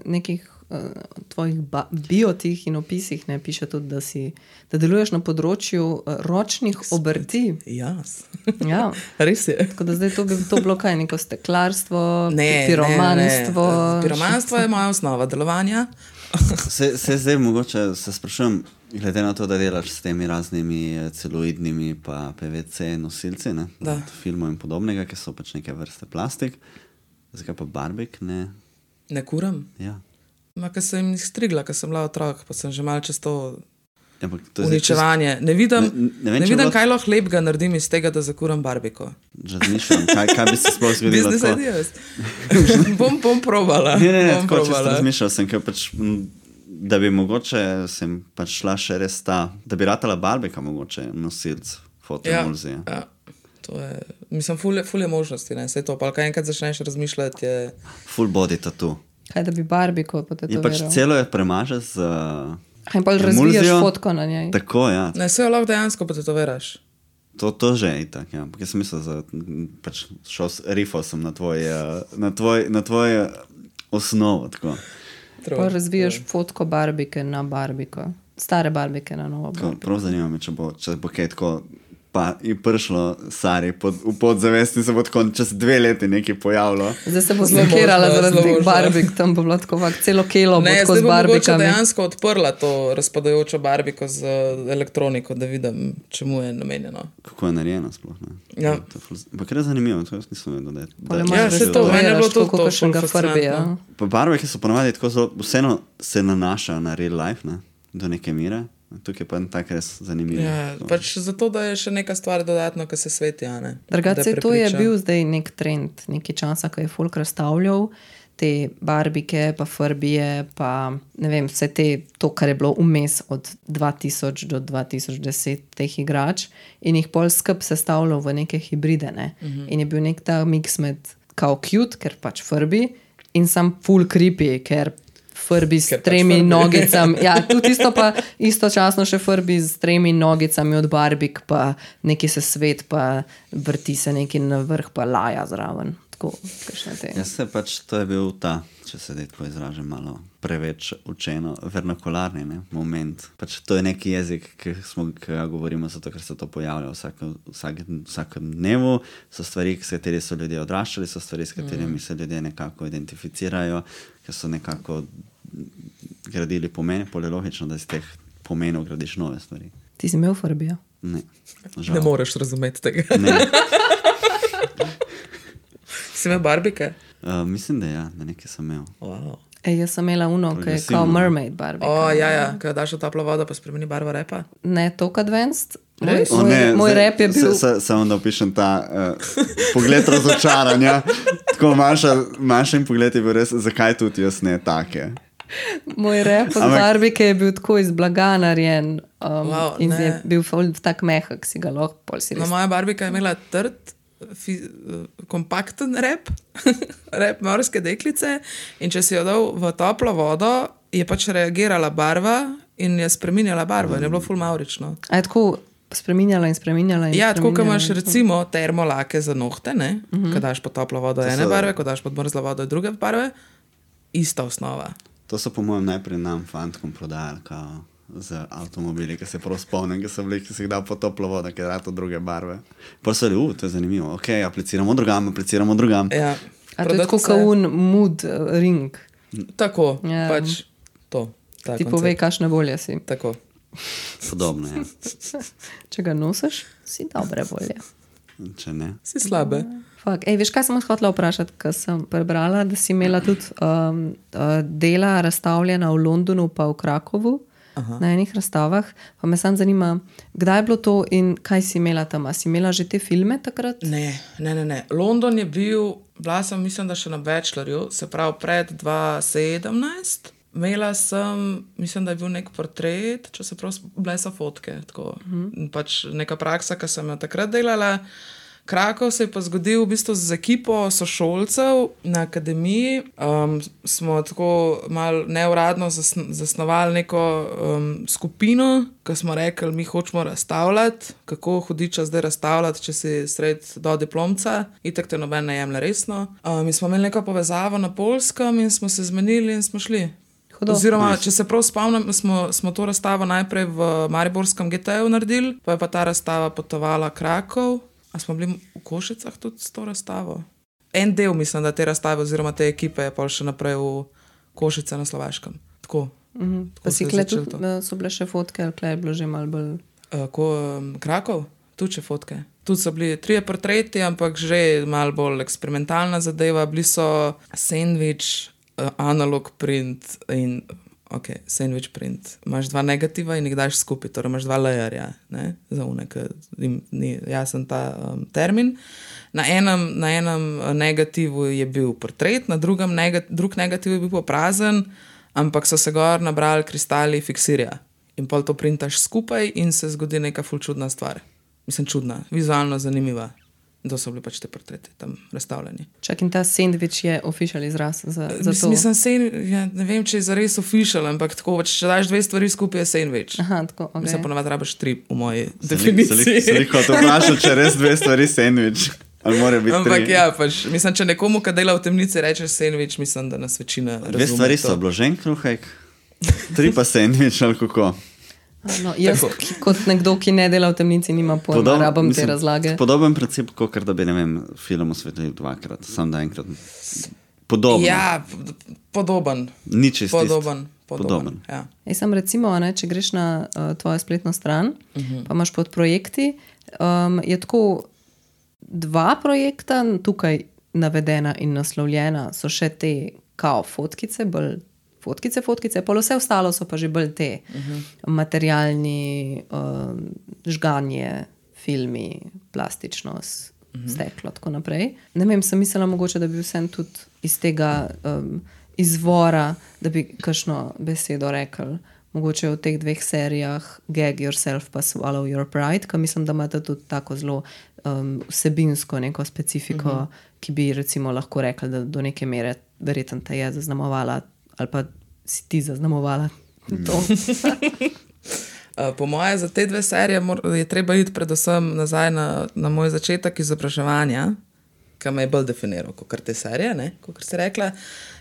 nekih uh, tvojih ba- biotih in opisih ne piše tudi, da, si, da deluješ na področju uh, ročnih obrti. Jas. Ja. Res je. Tako da zdaj to bi to bilo kaj, neko steklarstvo, Ne, piromanstvo. ne, ne. Piromanstvo je moja osnova delovanja. Se, se zdaj mogoče se sprašujem, glede na to, da delaš s temi raznimi eh, celuloidnimi pa P V C nosilci, ne, Da. od filmov in podobnega, ki so pač neke vrste plastik, zakaj pa barbik ne? Ne kuram. Ja. Ma, ker sem jih strigla, ker sem bila otrok, pa sem že malo čez to Ja, ampak to je zdaj uničevanje. Ne vidim, Ne- ne ne vem, če vidim bo- kaj lahko lepega naredim iz tega, da zakuram barbiko. čisto razmišljam, kaj, kaj bi se sploh zgodilo Business tako. ideas. bom, bom probala. Ne, ne, ne, bom tako čisto probala. razmišljal sem, ker pač, m, da bi mogoče sem pač šla še res ta, da bi ratala barbika mogoče nosilc fotoemulzije. Ja, ja. To je, mislim, ful je, ful je možnosti, ne, saj to, pa kaj enkrat začneš razmišljati, je... Full body tattoo. Kaj, da bi barbiko Je potetoviral. pač celo je premaže z uh, In pa razvijaš fotko na njej. Tako, ja. Ne, se jo lahko dejansko potetoviraš. To, to že je itak, ja. Jaz sem mislil, da pač šel, s- rifal sem na tvoj, uh, na tvoj, na tvoj uh, osnovo, tako. Pa razvijaš fotko barbike na barbiko. Stare barbike na novo Tako, barbiko. prav zanima me, če bo, če bo kaj tako pa je prišlo Sari pod, v podzavesti, se bo tako čez dve leti nekaj pojavilo. Zdaj se bo Zelo zlokirala možno, zaradi zelo teh možno. barbik, tam bo bilo tako, vak, celo kelo bo Ne, tako zdaj z bom mogoče barbikami. dejansko odprla to razpadajočo barbiko z eh, elektroniko, da vidim, čemu je namenjeno. Kako je narejeno sploh, ne? Ja. To je ful- Ampak res zanimivo, to jaz nisem vedel, da je. Pole da- imaš Ja, res saj to, meni je bilo tetovirano, to- tako to kakšnega ful Farbija. fascinantno. Pa barve, ki so ponavadi tako zelo, vseeno se nanašajo na real life, ne? Do neke mere. Tukaj pa je tako res zanimivo. Ja, pač zato, da je še neka stvar dodatno, ki se sveti. a ne. Da Drugače, to je prepriča. bil zdaj nek trend, nekaj časa, ko je folk razstavljal te barbike, pa farbije, pa ne vem, vse te, to, kar je bilo vmes od dva tisoč do dva tisoč deset teh igrač in jih pol skup sestavljal v neke hibride. Ne? Uh -huh. In je bil nek ta mix med kao cute, ker pač farbi, in sam full creepy, ker farbi s Ker pač tremi farbi. nogicami. Ja, tudi isto pa istočasno še farbi s tremi nogicami od barbik, pa neki se svet, pa vrti se neki na vrh, pa laja zraven. Tako, kakšne te. Jaz se pač, to je bil ta, če se zdaj tako izražam, malo preveč učeno, vernakularni ne, moment. Pač to je neki jezik, ki smo ki ga govorimo, zato ker se to pojavlja vsako, vsak, vsakem dnevu. So stvari, s katerimi so ljudje odraščali, so stvari, s katerimi se ljudje nekako identificirajo, ki so nekako gradili pomene, pol je logično, da iz teh pomenov gradiš nove stvari. Ti si imel farbijo? Ne, žal. Ne moreš razumeti tega. Ne. Si imel barbike? Uh, mislim, da ja, da nekaj sem imel. Wow. Ej, jaz sem imela uno, ki je Progresivno. kao mermaid barbika. O, ja, ja, ko daš v toplo vodo, pa spremeni barva repa. Ne toliko advanced. Moj, Res? O, moj, ne, moj zdaj- rap je bil... se- se- Samo da opišem ta uh, pogled razočaranja. Tako Maša, Mašin pogled je bil res, zakaj tudi jaz ne take. Moj rep od Ampak- barbike je bil tako iz blaga narejen um, Wow, in ne. je bil ful tak mehak, si ga lahko pol si No, res. moja barbika je imela trd, fi, eh, kompakten rep, rep morske deklice, in če si jo dal v toplo vodo, je pač reagirala barva in je spreminjala barvo in je bilo ful maurično. A je tako spreminjala in spreminjala in Ja, tako kot spreminjala imaš in- recimo termolake za nohte, ne? Uh -huh. Ko daš pod toplo vodo ene so- barve, ko daš pod mrzlo vodo druge barve, ista osnova. To so po mojem najprej nam fantkom prodajali kao, z avtomobili, ki se prav spomnim, ki so bili, ki si jih dal po toplo vodo, ki je dato druge barve. Pa so bili, uh, to je zanimivo, ok, apliciramo drugam, apliciramo drugam. Ja. A to je Prodati tako se- kaun mood uh, ring. Tako, Ja. pač to. ta Ti koncept. povej, kakšne volje si. Tako. Podobno je, Če ga nosiš, si dobre volje. če ne. Si slabe. Fak. Ej, veš, kaj sem vas hotela vprašati, ker sem prebrala, da si imela tudi um, uh, dela razstavljena v Londonu pa v Krakovu. Aha. Na enih razstavah. Pa me sam zanima, kdaj je bilo to in kaj si imela tam? A si imela že te filme takrat? Ne, ne, ne, ne. London je bil, bila sem, mislim, da še na bachelorju, se pravi pred dva tisoč sedemnajst. Imela sem, mislim, da je bil nek portret, če se prav, bile so fotke. Tako. Mm. Pač neka praksa, ki sem jo takrat delala, Krakov se je pa zgodil v bistvu z ekipo sošolcev na akademiji. Um, smo tako malo neuradno zasn zasnovali neko um, skupino, ko smo rekli, mi hočemo razstavljati, kako hudiča zdaj razstavljati, če si sred do diplomca, itak te noben ne jemlje resno. Um, mi smo imeli neko povezavo na Poljskem in smo se zmenili in smo šli. Hudo. Oziroma, če se prav spomnim, smo, smo to razstavo najprej v Mariborskem G T-ju naredili, pa je pa ta razstava potovala Krakov. A smo bili v Košicah tudi s to razstavo? En del, mislim, da te razstave oziroma te ekipe je pa še naprej v Košice na Slovaškem. Tako. Mhm. Tako Pa se si je kle začelo tudi, to. eh, so bile še fotke, ali kle je bilo že malo bolj... Uh, ko um, Krakov? Tudi še fotke. Tudi so bili trije portreti, ampak že malo bolj eksperimentalna zadeva. Bili so sandwich, uh, analog print in... Ok, sandwich print. Imaš dva negativa in jih daš skupaj, torej imaš dva layerja, ne, za une, ker jim ni jasen ta um, termin. Na enem, na enem negativu je bil portret, na drugem nega, drug negativ je bil pa prazen, ampak so se gor nabrali kristali fiksirja. In pol to printaš skupaj in se zgodi neka ful čudna stvar. Mislim, čudna, vizualno zanimiva. To so bili pač te portreti tam razstavljeni. Čak in ta sandvič je official izraz za, za to. Mislim, sen, ja, ne vem, če je zares official, ampak tako, če daš dve stvari skupaj, je sandwich. Aha, tako, ok. Mislim, ponovadi rabiš tri v moji Se definiciji. lahko to vprašal, če res dve stvari sandvič. Ali mora biti Ampak tri? ja, pač, mislim, če nekomu, ki dela v temnici, rečeš sandwich, mislim, da nas večina razume. Dve stvari so to. obložen kruhek, tri pa sandvič ali kako. No, jaz, ki, kot nekdo, ki ne dela v temnici, nima pojma, Podob- rabam te mislim, razlage. Podoben princip, kot da bi, ne vem, film osvetlil dvakrat, sam da enkrat. Podobno. Ja, pod- podoben. Ni čisto isto. Podoben. Podoben. Podoben. Ja. Jaz sem recimo, ne, če greš na uh, tvojo spletno stran, uh -huh. pa imaš pod projekti, um, je tako dva projekta tukaj navedena in naslovljena, so še te kao fotkice, bolj fotkice, fotkice, pol vse ostalo so pa že bolj te uh -huh. materialni, uh, žganje, filmi, plastičnost, uh -huh. steklo, tako naprej. Ne vem, sem mislila mogoče, da bi vsem tudi iz tega um, izvora, da bi kakšno besedo rekel, mogoče v teh dveh serijah Gag Yourself pa Swallow Your Pride, ker mislim, da imate tudi tako zelo um, vsebinsko neko specifiko, uh -huh. ki bi recimo lahko rekli, da do neke mere verjetno te je zaznamovala ali pa si ti zaznamovala to. Po moje, za te dve serije je treba iti predvsem nazaj na, na moj začetek izobraževanja, ki me je bolj definiral kot te serije, ne, kot si rekla.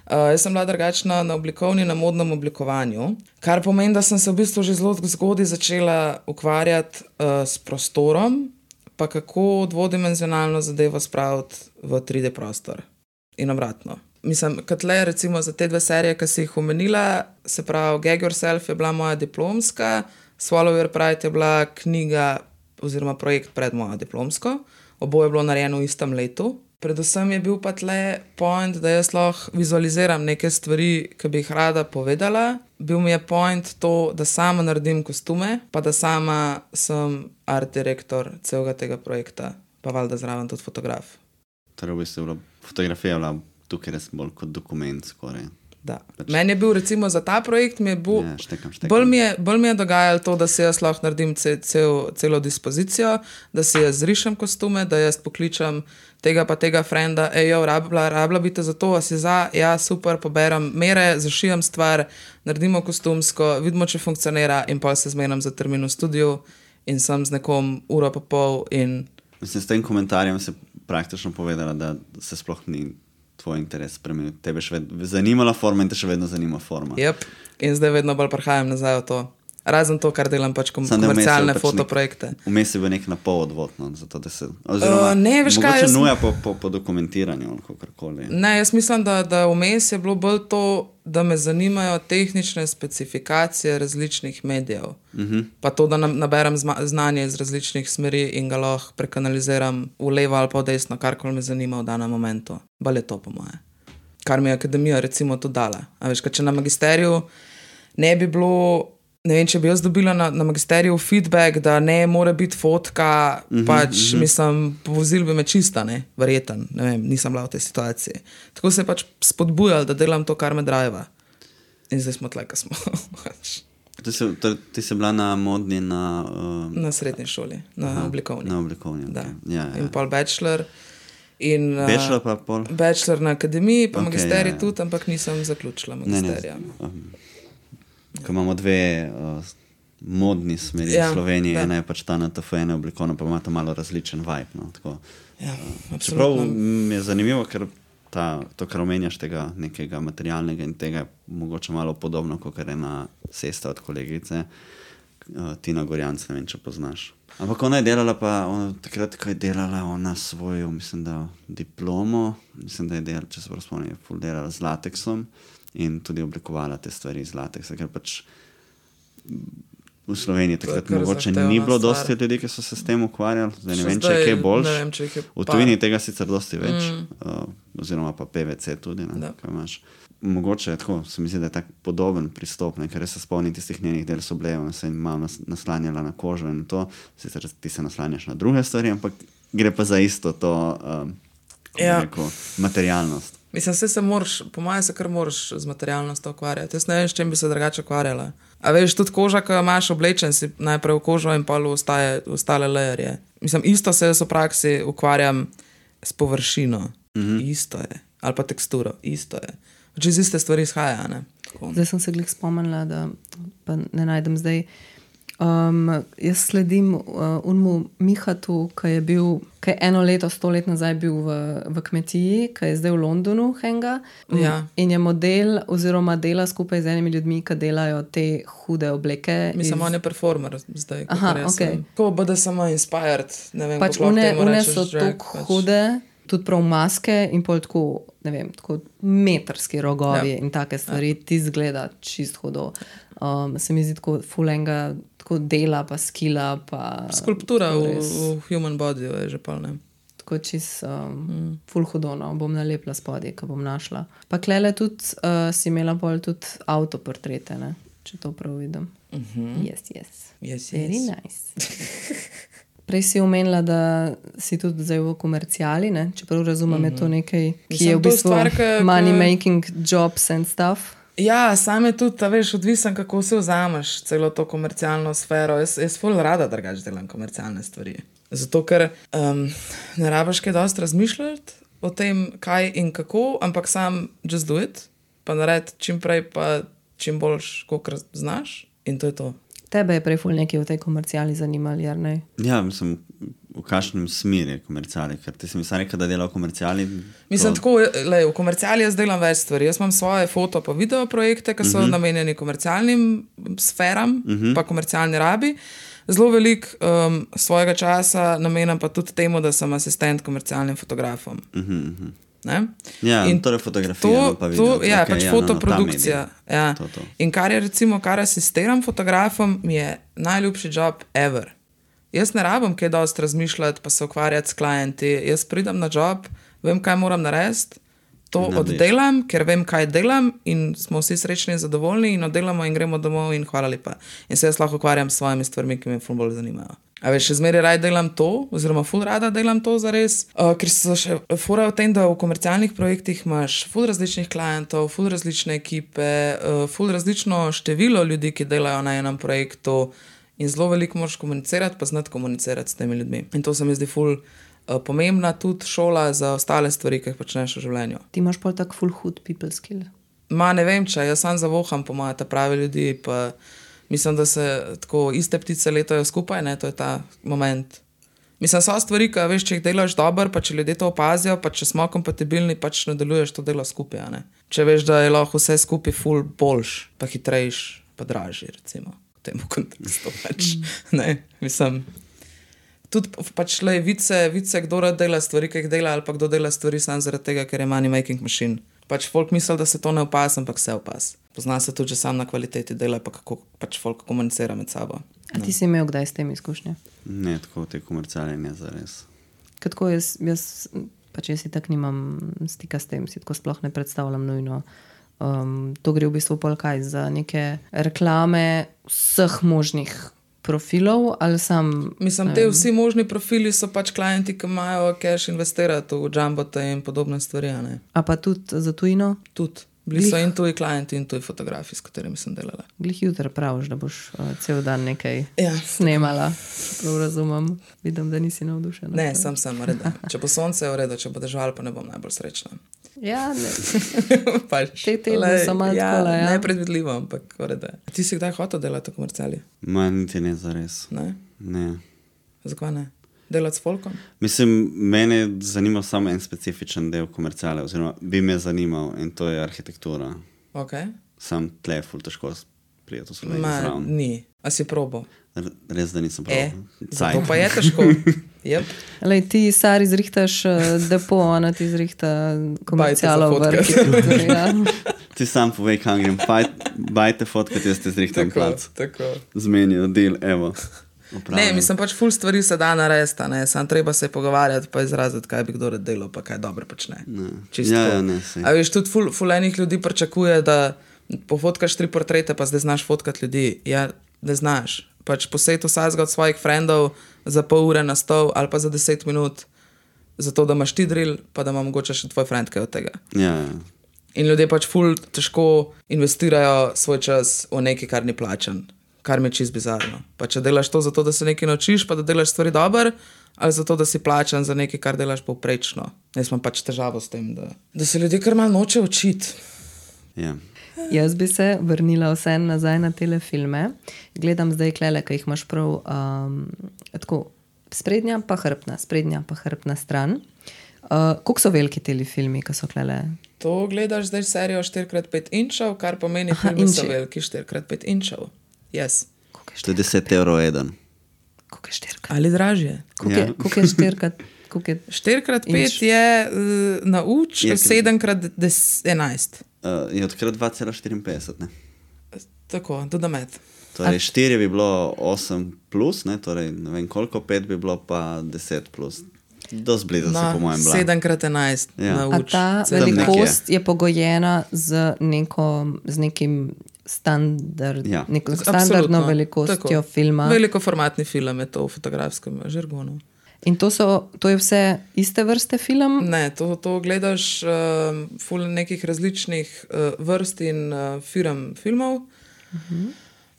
Uh, jaz sem bila drugačna na oblikovni, na modnem oblikovanju, kar pomeni, da sem se v bistvu že zelo zgodaj začela ukvarjati uh, s prostorom, pa kako dvodimenzionalno zadevo spraviti v tri D prostor in obratno. Mislim, kot le recimo za te dve serije, ki si jih omenila, se pravi Gag Yourself je bila moja diplomska, Swallow Your Pride je bila knjiga oziroma projekt pred mojo diplomsko, oboje je bilo narejeno v istem letu. Predvsem je bil pa tle point, da jaz lahko vizualiziram neke stvari, ki bi jih rada povedala. Bil mi je point to, da sama naredim kostume, pa da sama sem art direktor celega tega projekta, pa valjda zraven tudi fotograf. Torej, v bistvu je bila fotografija bila tukaj res bolj kot dokument skoraj. Da. Meni je bil recimo za ta projekt, mi je bil, Ja, štekam, štekam. bolj mi je, bolj mi je dogajalo to, da si jaz lahko naredim ce, cel, celo dispozicijo, da si jaz zrišem kostume, da jaz pokličem tega pa tega frenda, ej, jo, rabla, rabla bi te za to, a si za, ja, super, poberem mere, zašijem stvar, naredimo kostumsko, vidimo, če funkcionira in pa se zmenim za termin v studiu in sem z nekom uro pa pol in... Mislim, s tem komentarjem se praktično povedala, da se sploh ni tvoj interes spremenil. Tebe še vedno zanimala forma in te še vedno zanima forma. Yep. In zdaj vedno bolj prihajam nazaj v to. Razen to, kar delam pač kom Samo da vmes je komercialne pač fotoprojekte. nek- Vmes je bil nek napol odvod, no, zato da se... Oziroma, Uh, ne, veš kaj, mogoče jaz- nuja po, po, po dokumentiranju ali kakorkoli. Ne, jaz mislim, da, da vmes je bilo bolj to, da me zanimajo tehnične specifikacije različnih medijev. Uh-huh. Pa to, da nam- naberem zma- znanje iz različnih smeri in ga lahko prekanaliziram v levo ali pa v desno, karkoli me zanima v danem momentu. Bolj je to po moje. Kar mi je akademija recimo to dala. A veš, kaj, če na magisteriju ne bi bilo... Ne vem, če bi jaz dobila na, na magisteriju feedback, da ne more biti fotka, uh -huh, pač, uh -huh. mislim, povozil bi me čista, ne, verjeten, ne vem, nisem bila v tej situaciji. Tako se je pač spodbujal, da delam to, kar me driva. In zdaj smo tle, ko smo. To Ti si, to, ti si bila na modni na... Uh, Na srednji šoli, na aha, oblikovni. Na oblikovni, ok. Ja, ja. In pol bachelor. In, uh, bachelor pa pol? Bachelor na akademiji, pa okay, magisterij ja, ja. tudi, ampak nisem zaključila magisterija. Ne, ne. Um, ko imamo dve uh, modni smeri ja, v Sloveniji, ena je pač ta na T F ena oblikovna, pa ima ta malo različen vibe. No, tako, ja, uh, čeprav mi je zanimivo, ker ta, to, kar omenjaš tega nekega materialnega in tega je mogoče malo podobno, kot je na sesta od kolegice, uh, Tina Gorjanc, ne vem, če poznaš. Ampak ona je delala pa, ona, takrat, ko je delala ona svojo, mislim, da diplomo, mislim, da je delala, če se prav spomnim, je ful delala z lateksom in tudi oblikovala te stvari z lateksa, ker pač v Sloveniji takrat mogoče ni bilo stvar. Dosti ljudi, ki so se s tem ukvarjali, zdaj ne vem, če je kaj boljš, v tujini tega sicer dosti več, mm. uh, oziroma pa P V C tudi, ne, kaj imaš. Mogoče, tako, se mi zdi, da je tak podoben pristop, ne, ker se spomnim tistih njenih del so bile, ona se je malo nas, naslanjala na kožo in to, sicer ti se naslanjaš na druge stvari, ampak gre pa za isto to um, ja. rekel, materialnost. Mislim, se se moraš, po mojem se kar moraš z materialnostjo ukvarjati. Jaz ne vem, s čem bi se drugače ukvarjala. A veš, tudi koža, ko imaš oblečen, si najprej v kožo in pa ostaje, ostale layerje. Mislim, isto se jaz v praksi ukvarjam s površino. Mm-hmm. Isto je. Ali pa teksturo. Isto je. Če iz iste stvari izhaja, ne? Tako. Zdaj sem se glih spomnila, da pa ne najdem zdaj. Um, jaz sledim uh, unmu Mihatu, ki je bil, ki je eno leto, sto let nazaj bil v, v kmetiji, ki je zdaj v Londonu henga. Ja. In je model oziroma dela skupaj z enimi ljudmi, ki delajo te hude obleke. Mislim, iz... on je performer zdaj. Aha, ok. Ko bude samo inspired, ne vem, pač une, une so tako pač... hude, tudi prav maske in pol tako, ne vem, tako metrski rogovi ja. In take stvari, ja. Ti zgleda čist hudo. Um, se mi zdi tako fulenga, tako dela pa skila pa... Skulptura v, v human body je že pol, ne? Tako čist um, mm. ful hudo, no, bom nalepla spodje, ko bom našla. Pa klele tudi uh, si imela pol tudi autoportrete, ne? Če to prav vidim. Mm-hmm. Yes, yes. Yes, Very yes. nice. Prej si omenila, da si tudi zdaj v komercijali, ne? Čeprav razumem, mm-hmm. je to nekaj, ki Mislim, je v bistvu stvar, ka, money ka... making jobs and stuff. Ja, sam je tudi, veš, odvisen, kako si vzameš celo to komercialno sfero. Jaz, jaz ful rada drugače delam komercialne stvari. Zato, ker um, ne rabiš kaj dosti razmišljati o tem, kaj in kako, ampak sam just do it, pa naredi čim prej, pa čim boljš, kolikor znaš in to je to. Tebe je prej ful nekaj v tej komercijali zanimali, jer ne? Ja, mislim, v kakšnem smer je komercijali, ker ti si mi sam rekel, da dela v komercijali. Mislim, to... tako, lej, v komercijali jaz delam več stvari. Jaz imam svoje foto pa video projekte, ki so uh-huh. namenjeni komercialnim sferam, uh-huh. pa komercialni rabi. Zelo veliko um, svojega časa namenam pa tudi temu, da sem asistent komercialnim fotografom. Uh-huh, uh-huh. Ne? Ja, in torej fotografija, to, pa video. To, ja, okay, pač ja, fotoprodukcija. No, no, ja. to, to. In kar je recimo, kar asistiram fotografom, mi je najljubši job ever. Jaz ne rabim kaj dosti razmišljati, pa se ukvarjati s klienti. Jaz pridem na job, vem, kaj moram narediti, to ne oddelam, ker vem, kaj delam in smo vsi srečni in zadovoljni in oddelamo in gremo domov in hvala lepa. In se jaz lahko ukvarjam s svojimi stvarmi, ki me ful bolj zanimajo. A veš, še zmeraj raj delam to, oziroma ful rada delam to zares, uh, ker so še fora v tem, da v komercialnih projektih imaš ful različnih klientov, ful različne ekipe, uh, ful različno število ljudi, ki delajo na enem projektu in zelo veliko moraš komunicirati, pa znati komunicirati s temi ljudmi. In to se mi zdi ful uh, pomembna tudi šola za ostale stvari, ki jih počneš v življenju. Ti imaš pol tak ful hud people skill? Ma ne vem, če, jaz sam zavoham po moje ta pravi ljudi, pa mislim, da se tako iste ptice letajo skupaj, ne, to je ta moment. Mislim, so stvari, ki veš, če jih delaš dober, pa če ljudje to opazijo, pa če smo kompatibilni, pač nadaljuješ to delo skupaj, ne. Če veš, da je lahko vse skupaj ful boljš, pa hitrejš, pa dražji, recimo, v tem kontekstu pač, ne, mislim. Tudi pač le vice, vice, kdo rad dela stvari, ki jih dela, ali pa kdo dela stvari sam zaradi tega, ker je money making machine. Pač folk misli, da se to ne opas, ampak se opas. Pozna se tudi že sam na kvaliteti dela, pa kako pač folk komunicira med sabo. A ti si imel kdaj s tem izkušnje? Ne, tako te komerciale ne zares. Kako jaz, jaz, pač jaz si tak nimam stika s tem, si tako sploh ne predstavljam nujno. Um, to gre v bistvu pol kaj za neke reklame vseh možnih profilov, ali sam... Mislim, te vsi možni profili so pač klienti, ki imajo cash investirati v jumbote in podobne stvari, ne? A pa tudi za tujino? Tudi. Bili so in tuji klienti, in tuji fotografi, s katerimi sem delala. Glih jutri praviš, da boš uh, cel dan nekaj Ja. snemala. Prav razumem. Vidim, da nisi navdušena. Ne, sem sem reda. Če bo sonce je v redu, če bo dežval, pa ne bom najbolj srečna. Ja, ne. pač, Te tedne so malo ja, takole, ja. Nepredvidljivo, ampak v redu. Ti si kdaj hotel delati v komerciali? Ma niti ne zares. Ne? Ne. Zakaj ne? Delati s folkom? Mislim, mene je zanimal samo en specifičen del komerciale, oziroma bi me zanimal in to je arhitektura. Ok. Sam tle je ful težko prijeti v Sloveniji Ma, zraven. ni. A si probo? R- Res, da nisem E, prav. zato pa je težko. Yep. Lej, ti, Sari, zrihtaš uh, depo, ona ti zrihta komercialo v Bajte za arhitekturi. Ja. Ti sam povej, kam grem, Baj, bajte fotkati, jaz te zrihtam Tako, kvalc. tako. Zmenijo, del, evo. Ne, Opravljam. mislim pač ful stvari se da narediti, ne, sam treba se pogovarjati pa izraziti, kaj bi kdo rad delal, pa kaj dobro počne. Čisto Ja, tako. ja, ne, saj. A veš, tudi ful, ful enih ljudi pričakuje, da pofotkaš tri portrete, pa zdaj znaš fotkati ljudi. Ja, ne znaš. Pač posejt vsakega od svojih frendov za pol ure na stol ali pa za deset minut, zato da imaš ti drill, pa da ima mogoče še tvoj friend kaj od tega. Ja, ja. In ljudje pač ful težko investirajo svoj čas v nekaj, kar ni plačan, kar mi je čist bizarno. Pa če delaš to zato, da se nekaj naučiš, pa da delaš stvari dobro, ali zato, da si plačan za nekaj, kar delaš povprečno. Jaz imam pač težavo s tem, da, da se ljudje kar malo noče učiti. Ja. Jaz bi se vrnila vse nazaj na tele filme. Gledam zdaj klele, ki jih imaš prav um, tako sprednja pa hrbtna, sprednja pa hrbtna stran. Uh, koliko so veliki teli filmi, ki so klele? To gledaš zdaj serijo štiri krat pet inčev, kar pomeni, Aha, filmi so inči. veliki štiri krat pet inčev. Yes. Koliko je To je deset evrov eden. Koliko je štirikrat? Ali dražje. Koliko je, Ja. koliko je štirikrat? Koliko je... štiri krat pet Inč. je uh, na uč, Je, ker- sedem krat enajst. Uh, je odkrat dva cela štiriinpetdeset, ne? Tako, do da med. Torej, štiri bi bilo osem plus, ne, torej ne vem koliko, pet bi bilo pa deset plus. Dost blizu si po mojem bila. sedem krat enajst Ja. na A uč. ta Sedem nekje. velikost je pogojena z, neko, z nekim standard, Ja. neko Absolutno. standardno velikostjo Tako. filma. Velikoformatni film je to v fotografskem žargonu. In to, so, to je vse iste vrste film? Ne, to, to gledaš uh, ful nekih različnih uh, vrst in uh, firm filmov.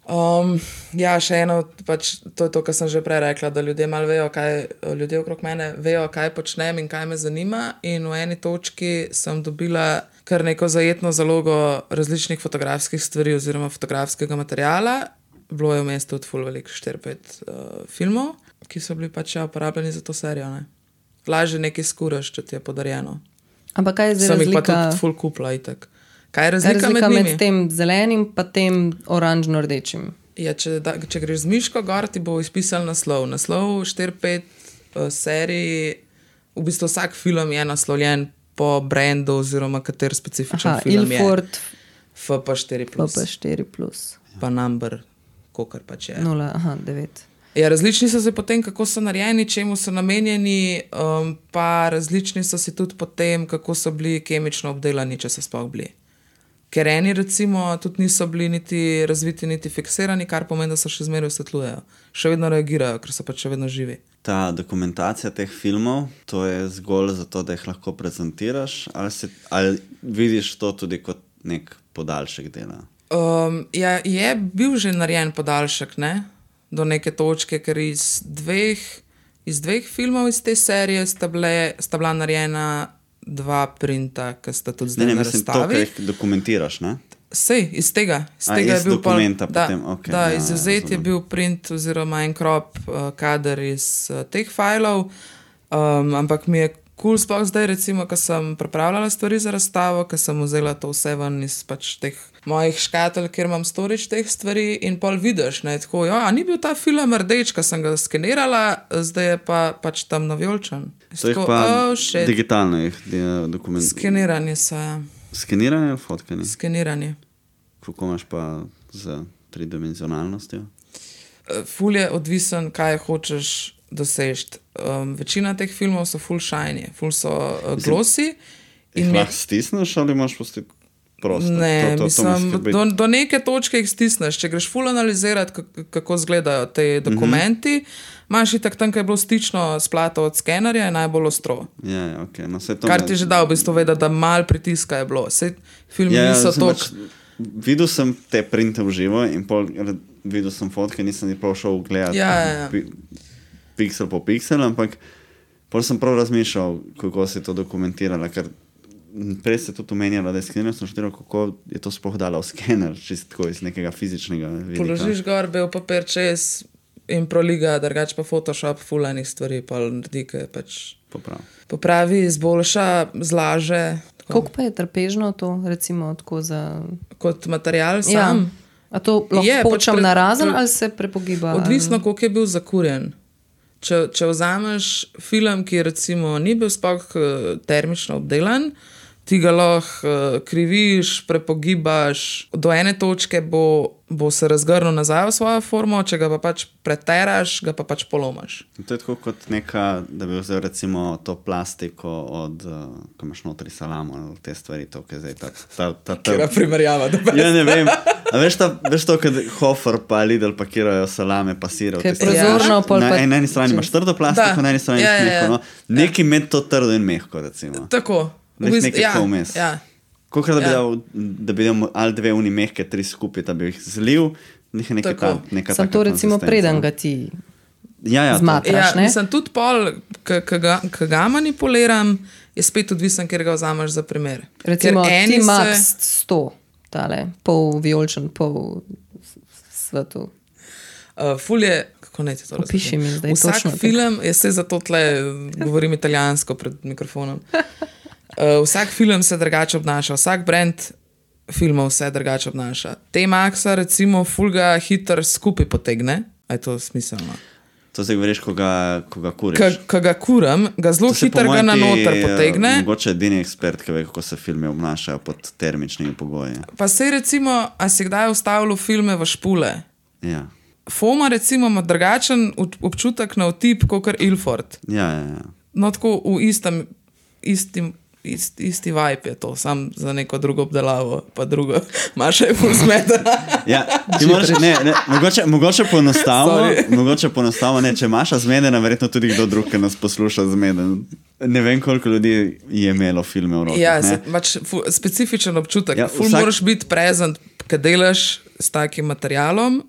Um, ja, še eno, pač, to je to, kar sem že prej rekla, da ljudje malo vejo, kaj, ljudje okrog mene vejo, kaj počnem in kaj me zanima. In v eni točki sem dobila kar neko zajetno zalogo različnih fotografskih stvari oziroma fotografskega materiala. Bilo je v mestu tudi ful veliko štiri pet uh, filmov, ki so bili pač ja, uporabljeni za to serijo. Ne? Lažje nekaj skuraš, če ti je podarjeno. Ampak kaj je zdaj Sem jih pa razlika, tudi ful kupla itak. Kaj je kaj je razlika, razlika med, med, njimi? med tem zelenim pa tem oranžno-rdečim? Ja, če, da, če greš z miško gor, ti bo izpisal naslov. Naslov štiri pet uh, serij, v bistvu vsak film je naslovljen po brendu oziroma kater specifičen Aha, film Ilford, je. F P štiri P plus. P štiri plus, Pa number, kokar pač je. nula, aha, devet. Ja, različni so se potem, kako so narejeni, čemu so namenjeni, um, pa različni so si tudi potem, kako so bili kemično obdelani, če so sploh bili. Ker eni recimo tudi niso bili niti razviti, niti fiksirani, kar pomeni, da se še zmeraj osvetljujejo. Še vedno reagirajo, ker so pač še vedno živi. Ta dokumentacija teh filmov, to je zgolj zato, da jih lahko prezentiraš, ali, si, ali vidiš to tudi kot nek podaljšek dela? Um, ja, je bil že narejen podaljšek, ne? Do neke točke, ker iz dveh, iz dveh filmov iz te serije sta, bile, sta bila narejena dva printa, ki sta tudi Ne, zdaj ne, na mislim, to, razstavi. kar jih dokumentiraš, ne? Sej, iz tega. Iz A, tega iz je bil pol- dokumenta da, potem, okej, da, ja, ja, izvzet je razumem. bil print oziroma en krop uh, kader iz uh, teh fajlov, um, ampak mi je kul cool sploh zdaj, recimo, ko sem pripravljala stvari za razstavo, ko sem vzela to vse ven iz pač teh mojih škatelj, kjer imam storage teh stvari in pol vidiš, ne, tako, ja, a ni bil ta film rdeč, ko sem ga skenirala, zdaj je pa pač tam navjolčen. To jih pa oh, shit. digitalno jih dokumentiraš. Skeniranje so, ja. Skeniranje ali fotkanje? Skeniranje. Kako imaš pa z tridimenzionalnostjo? Ful je odvisen, kaj hočeš dosežeti. Um, večina teh filmov so full shiny, full so uh, glossy. Jih In mi, lahko stisneš ali imaš pustiti? prosto. Ne, to, to, mislim, to me skrbi. do, do neke točke jih stisneš. Če greš ful analizirati, kako, kako izgledajo te dokumenti, mm-hmm. imaš itak tam, kaj je bilo stično splato od skenerja, je najbolj ostro. Ja, ja, okay. no, Kar me... ti že dal v bistvu vedeti, da mal pritiska je bilo. Sej filmi ja, niso sem toliko. Pač, videl sem te printe v živo in pol, videl sem fotke, nisem ni prav šel gledati Ja, ja, ja. pi, piksel po piksel, ampak pol sem prav razmišljal, kako se je to dokumentiralo, ker prej se tudi omenjala, da je skener, sem študiral, kako je to sploh dala v skener, čisto tako iz nekega fizičnega vidika. Položiš gor, bel papir čez in proliga, drugače pa Photoshop fulanih stvari, pa naredi, ki pač Poprav. popravi, izboljša, zlaže. tako. Koliko pa je trpežno to, recimo, tako za... Kot material sam. Ja. A to lahko Je, pač počam pre- na razen pre- ali se prepogiba? Odvisno, ali... koliko je bil zakurjen. Če, če vzameš film, ki recimo ni bil sploh eh, termično obdelan, ti ga lahko uh, kriviš, prepogibaš, do ene točke bo, bo se razgrnil nazaj v svojo formo, če ga pa pač preteraš, ga pa pač polomaš. To je tako kot neka, da bi vzel recimo to plastiko od, uh, ko imaš notri salamo, ali te stvari, to, ki je zdaj ta... ta, ta, ta Kera primerjava, da pa ja, ne vem. A veš, ta, veš to, kad Hofer pa Lidl pakirajo salame, pa sire. Kaj je prozorno, pol Na, pa... na eni strani imaš trdo plastiko, Da. na eni strani Ja, imaš ja, ja. mehko. No. Nekaj med to trdo in mehko, recimo. tako. Veš, V bistvu- nekaj ja, tako vmes. ja. Kolikrat, da bi Ja. dal, da bi dal ali dve uni mehke, tri skupaj, da bi jih zlil, nekaj neka Tako. ta, neka Sam taka to recimo konzistenca. preden ga ti ja, ja, to- zmatraš, Ja, ne? mislim, tudi pol, ki ga, ki ga manipuliram, je spet odvisen, ker ga vzameš za primer. Recimo Ker eni ti se- max sto, tale, pol vijoličen, pol svetu. Uh, ful je, kako naj ti to razložim? Opiši mi zdaj Vsak točno tako. film, jaz se zato tle govorim italijansko pred mikrofonom. Uh, vsak film se drugače obnaša, vsak brand filmov se drugače obnaša. T-Maxa recimo ful ga hiter skupaj potegne, a je to smiselno. To zdaj govoriš, ko ga, ko ga kuriš. Ka, ka ga kuram, ga zelo To se po hiter ga mojem na ti, noter eh, potegne. Mogoče edini ekspert, ki ve, kako se filmi obnašajo pod termičnimi pogoji. Pa sej recimo, a si kdaj ustavljal filme v špule? Ja, Foma recimo ima drugačen ut- občutek na otip, kot Ilford. ja, ja. ja. No, tako v istem, istim, ist, isti vibe je to, sam za neko drugo obdelavo, pa drugo, Maša je ful zmedena. Ja, ti moraš, ne, ne, mogoče, mogoče poenostavimo, Sorry. mogoče poenostavimo, ne, če Maša zmedena, verjetno tudi kdo drug, ki nas posluša zmeden. Ne vem, koliko ljudi je imelo filme v rokah. Ja, ne. se, pač fu, specifičen občutek. Ja, Ja, ful vsak- moraš biti prezent, kad delaš s takim materialom,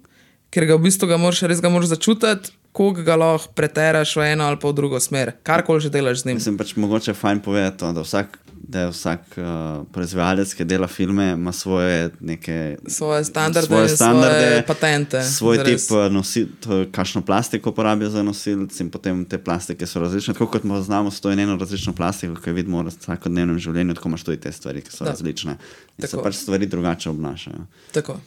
ker ga v bistvu ga moraš, res ga moraš začutiti, koliko ga lahko preteraš v eno ali pa v drugo smer. Karkoli že delaš z njim. Mislim pač mogoče fajn povedati to, da vsak, da je vsak uh, proizvajalec, ki dela filme, ima svoje neke... Svoje standarde, svoje, standarde, svoje patente. svoj zares. tip uh, nosil, to, kakšno plastiko uporabijo za nosilc in potem te plastike so različne. Tako kot mo- znamo sto in eno različno plastiko, ki jo vidimo v vsakodnevnem življenju, tako imaš tudi te stvari, ki so Da. različne. In se Tako. pač stvari drugače obnašajo. Tako.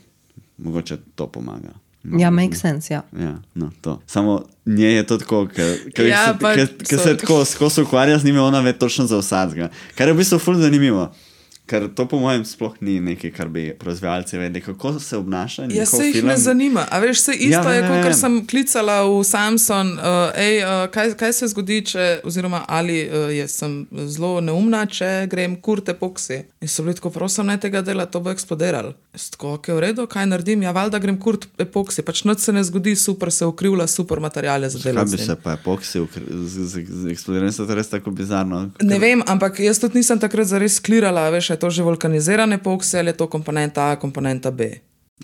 Mogoče to pomaga. Ja, make sense, ja. Ja, no, to. Samo nje je to tako, ker Ja, ja, pa- se sorry. tako skozi ukvarja z njimi, ona ve točno za vsakega. Kar je v bistvu ful zanimivo. Ker to po mojem sploh ni nekaj, kar bi proizvajalci vedeli, kako se obnaša. Ja, njihov se jih film. ne zanima. A veš, se isto Ja, ja, je, vem, kot vem, kar vem. sem klicala v Samsung, uh, ej, uh, kaj, kaj se zgodi, če, oziroma ali uh, jaz sem zelo neumna, če grem kurt epoksi. In so bili tako, prosim, ne tega dela, to bo eksplodiralo. Jaz tako, ok, v redu, kaj naredim? Ja, valjda grem kurt epoksi, pač nič se ne zgodi, super se ukrivlja, super materiale za Kaj delati. bi z njim. se pa epoksi ukr- z, z, z eksplodiranjem, se to res tako bizarno. Ne vem, ampak jaz tudi nisem takrat zares klirala, veš, a je to že vulkaniziran epoksi ali je to komponenta A, komponenta B.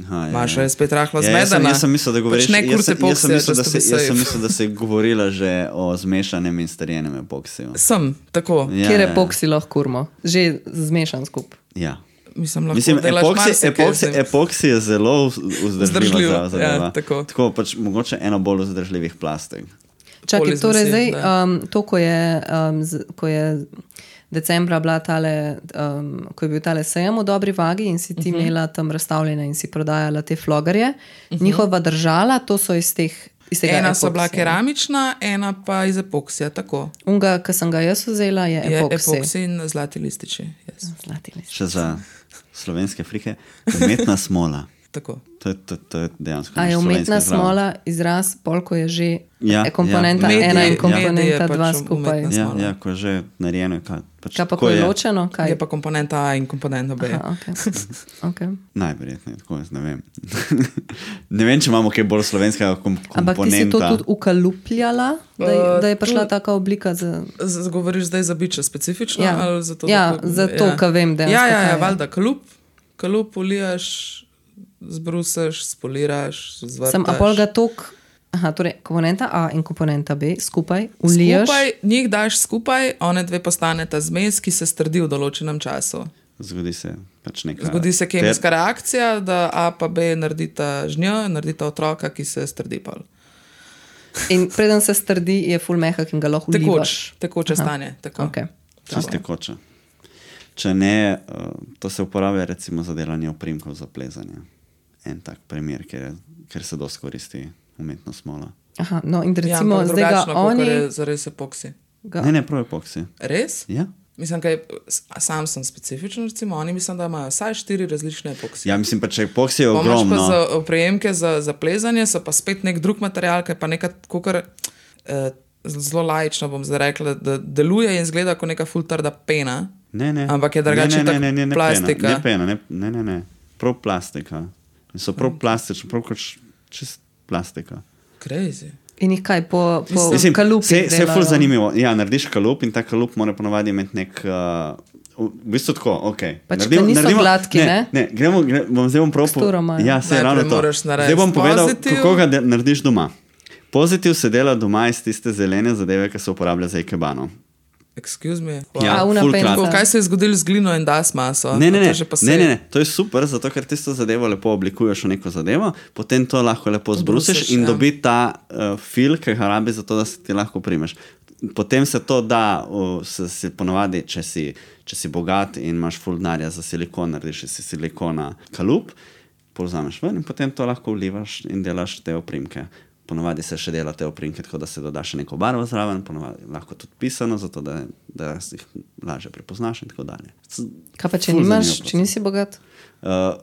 Aha, ja, Maša ja. je spet rahlo Ja, jaz, sem, zmedena. jaz sem mislil, da govoriš, Pač ne jaz, kurt sem- jaz, sem epoksija, mislil, da just to se, be jaz sem safe. mislil, da se je govorila že o zmešanem in starjenem epoksiju. Sem, tako. Ja, Kjer ja. epoksi lahko kurmo? Že zmešan skup. Ja. Mislim, lahko Mislim, delaš epoksi, marsikaj z epoksi, njim. epoksi je zelo vz- vzdržljiva Vzdržljivo, za- zadeva. ja, tako. tako pač mogoče eno bolj vzdržljivih plastik. Čakaj, Pol iz torej vasi, zdaj, da. um, to, ko je, um, z, ko je decembra bila tale, um, ko je bil tale sejem v dobri vagi in si ti uh -huh. imela tam razstavljene in si prodajala te flogarje, uh -huh. njihova držala, to so iz teh. iz tega Ena so bila epoksija. keramična, ena pa iz epoksija, tako. Unga, ki sem ga jaz vzela, je Je epoksi. epoksi in zlati lističi. Yes. Zlati list. Še za slovenske frike, umetna smola. Tako. To je, to, to je dejansko. A je naš umetna slovenski zdrav. smola izraz, polko je že Ja, ja, komponenta ja. ja. ena Medij- in komponenta medij je dva pač skupaj. umetna Ja, smola. ja, ko je že narejeno. Kaj, pač, Kaj pa, ko je ločeno? Kaj? Je pa komponenta A in komponenta B. Aha, okay. Okay. Najverjetneje, tako jaz ne vem. Ne vem, če imamo kaj bolj slovenskega kom komponenta. Ampak ti si to tudi ukalupljala, da je, Uh, da je prišla tu- taka oblika za... Z- Govoriš zdaj za biče specifično? Ja. Ali zato, Ja, da, zato, ker vem dejansko, Ja, ja, kaj ja, je. valjda, kalup, kalup ulijaš, zbrusaš, spoliraš, zvrtaš. Sem apolga tok, aha, torej komponenta A in komponenta B skupaj uliješ. Skupaj, njih daš skupaj, one dve postaneta zmes, ki se strdi v določenem času. Zgodi se pač nekaj. Zgodi se kemijska reakcija, da A pa B naredita žnjo, naredita otroka, ki se strdi pol. In preden se strdi, je ful mehak in ga lahko Tekoč, ulivaš. tekoče stanje. Tako. Okay. Čisto tekoče. Če ne, uh, to se uporablja recimo za delanje oprimkov za plezanje. En tak primer, ker, je, ker se dosti koristi umetna smola. Aha, no in Ja, recimo ampak zdaj ga drugačno, kakor oni... je zares epoksi. Ga, Ne, ne, prav epoksi. Res? Ja? Mislim, kaj, sam sem specifičen, recimo, oni mislim, da imajo vsaj štiri različne epoksije. Ja, mislim pa, če epoksi je Pa imaš pa ogromno. za oprijemke za, za plezanje, so pa spet nek drug material, ki je pa nekaj, kakor, eh, zelo laično bom zdaj rekla, da deluje in zgleda kot neka ful trda pena. Ne, ne. Ampak je drugače Ne, ne, tak ne, ne, ne, plastika. Ne, pena, ne, ne, ne, ne. Prav plastika. In so prav plastični, prav kot č- čist plastika. Crazy. in jih kaj po, po Mislim, kalupih se, se je delajo. ful zanimivo. Ja, narediš kalup in ta kalup mora ponovadi imeti nek... Uh, v bistvu tako, ok. Pač, da niso gladki, ne? ne? Ne, gremo, gre, bom zdaj bom prav... po- Teksturo imajo. Ja, se je Najprej ravno to. moraš narediti Zdaj bom povedal, pozitiv. kako ga de, narediš doma. Pozitiv se dela doma iz tiste zelene zadeve, ki se uporablja za ikebano. Excuse me. Ja, A, una ful penca. kratko. Tako, kaj se je zgodilo z glino in das maso? Ne, ne, A to ne, je že pa ne, ne, sej. ne, to je super, zato ker tisto zadevo lepo oblikuješ v neko zadevo, potem to lahko lepo zbrusiš Obrusiš, in ja. dobi ta uh, fil, ki ga rabi za to, da se ti lahko primeš. Potem se to da, uh, se, se ponovadi, če si, če si bogat in imaš ful denarja za silikon, narediš si silikona kalup, povzameš ven in potem to lahko vlivaš in delaš te oprimke. Ponovadi se še dela te oprimke, tako da se doda še neko barvo zraven, ponovadi lahko tudi pisano, zato da, da si jih lažje prepoznaš in tako dalje. C- Kaj pa, če ful nimaš, zanimiv če nisi bogat? Uh,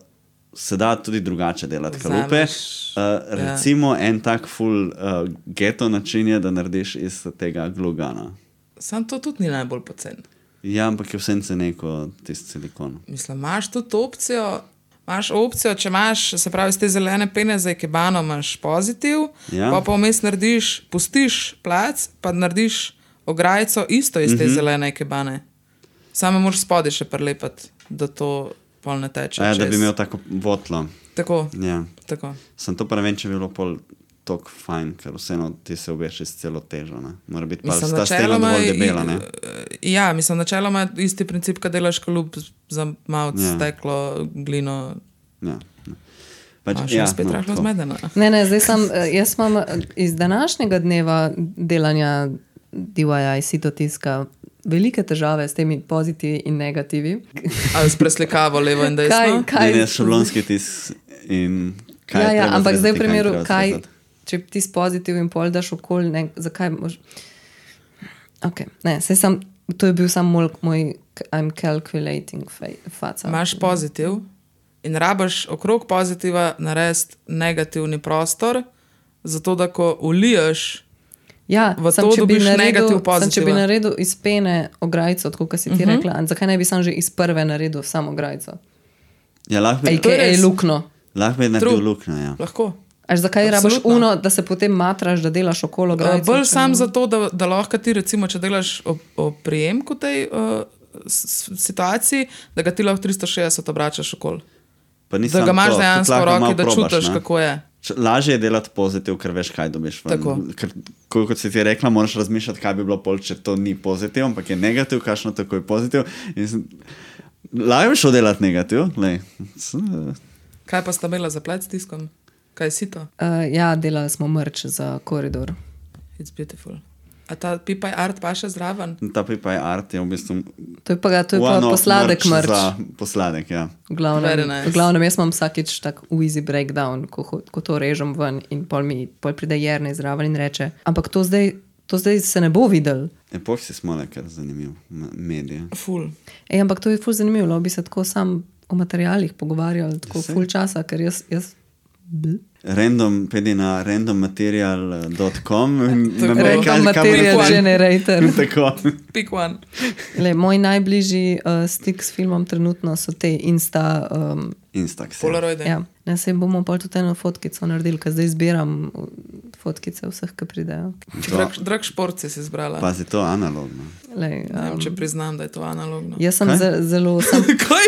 se da tudi drugače delati kalupe. Vzameš, Uh, recimo ja. En tak full uh, geto način je, da narediš iz tega glugana. Sam to tudi ni najbolj pocen. Ja, ampak je vsem cene kot tisti silikon. Mislim, imaš tudi opcijo, imaš opcijo, če imaš, se pravi, iz te zelene pene za ikebano imaš pozitiv, Ja. pa pa vmes narediš, pustiš plac, pa narediš ograjico isto iz te Mhm. zelene ikebane. Samo moraš spodaj še prelepati, da to pol ne teče. A ja, da čez. bi imel tako votlo. Tako, Ja. tako. Sem to pa ne vem, če bi bilo pol tok fajn, ker vseeno ti se obeš iz celo težo. Ne? Mora biti pa Mislim, ta stena načeloma dovolj je- debela. Ne? Ja, mislim, načeloma je isti princip, kad delaš kalup za malce Ja. ja. steklo, glino. Ja. ja. Pač, A, še ja, spet no, rahlo tako. zmedena. Ne, ne, zdaj sem, eh, jaz imam eh, iz današnjega dneva delanja D I Y sitotiska velike težave s temi pozitivi in negativi. Ali s preslikavo levo in desno. Kaj, Ne, kaj, ne, šablonski tis in kaj ja, je ja, treba ampak zdaj v zrezati, kaj ni primeru, treba kaj, zrezati. če ti s pozitiv in pol daš okoli, ne, zakaj mož... Ok, ne, saj sem, to je bil sam moj, moj I'm calculating fa- faca. Imaš pozitiv in rabaš okrog pozitiva narediti negativni prostor, zato da ko uliješ, Ja, v sem, to če bi dobiš naredil, negativ sem, če bi pozitiva. naredil iz pene ograjico, tako kot si ti uh -huh. rekla, a zakaj ne bi sam že iz prve naredil samo ograjico? Ja, lahko bi, To je A K A res. lukno. lahko bi naredil True. luknjo. Ja. lahko. Až zakaj rabiš Absolutno. uno, da se potem matraš, da delaš okolo Uh, ograjice? bolj sam zato, da, da lahko ti, recimo, če delaš o, o prijemku tej uh, s- situaciji, da ga ti lahko tristo šestdeset obračaš okoli. Pa ni Da samo ga imaš to, dejansko tudi v lahko malo roki, da probaš, čutiš, ne. kako je. Č- Lažje je delati pozitiv, ker veš, kaj dobiš. ven. Tako. Ker, ko- kot si ti rekla, moraš razmišljati, kaj bi bilo pol, če to ni pozitiv, ampak je negativ, kakšno tako je pozitiv. In sem- Lažje bi šel delati negativ. Lej. S- Kaj pa sta imela za plec s tiskom? Kaj si to? Uh, ja, delali smo mrč za koridor. It's beautiful. A ta pipaj art pa še zraven? Ta pipa je art, je v bistvu To je pa, ga- to je pa one-off posladek merch mrč. Za posladek, ja. V glavnem, Very nice. v glavnem, jaz imam vsakič tak easy breakdown, ko, ho- ko to režem ven in pol mi pol pride Jernej zraven in reče, ampak to zdaj, to zdaj se ne bo videl. Epoh si smole, ker zanimiv. m- Medije. Ful. Ej, ampak to je ful zanimivo, bi se tako sam o materialih pogovarjali tako Saj. ful časa, ker jaz... jaz bl. Random, pedi na random material dot com Tako. Random material generator. Tako. Pick one. Le, moj najbližji uh, stik s filmom trenutno so te Insta... Um, Instax. Polaroide. ja. Ne, se bomo pol tudi eno fotkico naredili, ker zdaj zbiram fotkice vseh, ki pridejo. Drag, drag šport si si izbrala. Pazi, to analogno. Lej, Ne vem, um, če priznam, da je to analogno. jaz sem Kaj? ze, zelo... Sem, Kaj?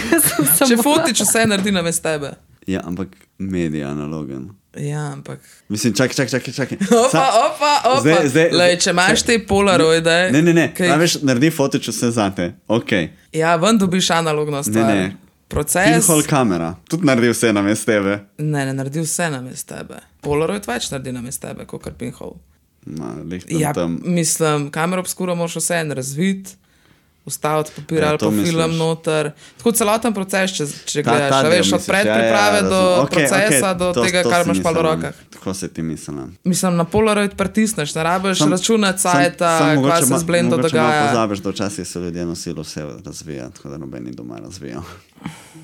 jaz sem Če samo... fotič vse naredi na vest tebe. Ja, ampak medij analogen. Ja, ampak... Mislim, čakaj, čakaj, čakaj, čakaj. Opa, Sa- opa, opa. Zdaj- zdaj- Lej, če imaš te polaroide... Ne, ne, ne, kaj- kaj... veš, naredi fotič vse zate, ok. Ja, ven dobiš analogno Ne, stvar. ne. Proces... Pinhole kamera, tudi naredi vse na mest tebe. Ne, ne naredi vse na mest tebe. Polaroid več naredi na mest tebe, kot kar pinhole. Ma, lih tam, Ja, tam. mislim, kamero obskuro moraš vse en razviti, ustaviti papir Ja, ali to pa misliš. film noter. Tako celoten proces, če, če Ta- gledaš, ta a del veš, od misliš, ja, ja, predpriprave do razumem. Okej, procesa, okej, do to- tega, to kar si imaš pa v mislila. rokah. Tako se ti mislim. Mislim, na Polaroid pritisneš, ne rabiš Sam- računati sam- sajta, sam kaj mogoče se ma- z blendo mogoče malo dogaja. pozabiš, da včasih so ljudje nosili vse razvija, tako da noben ni doma razvijal.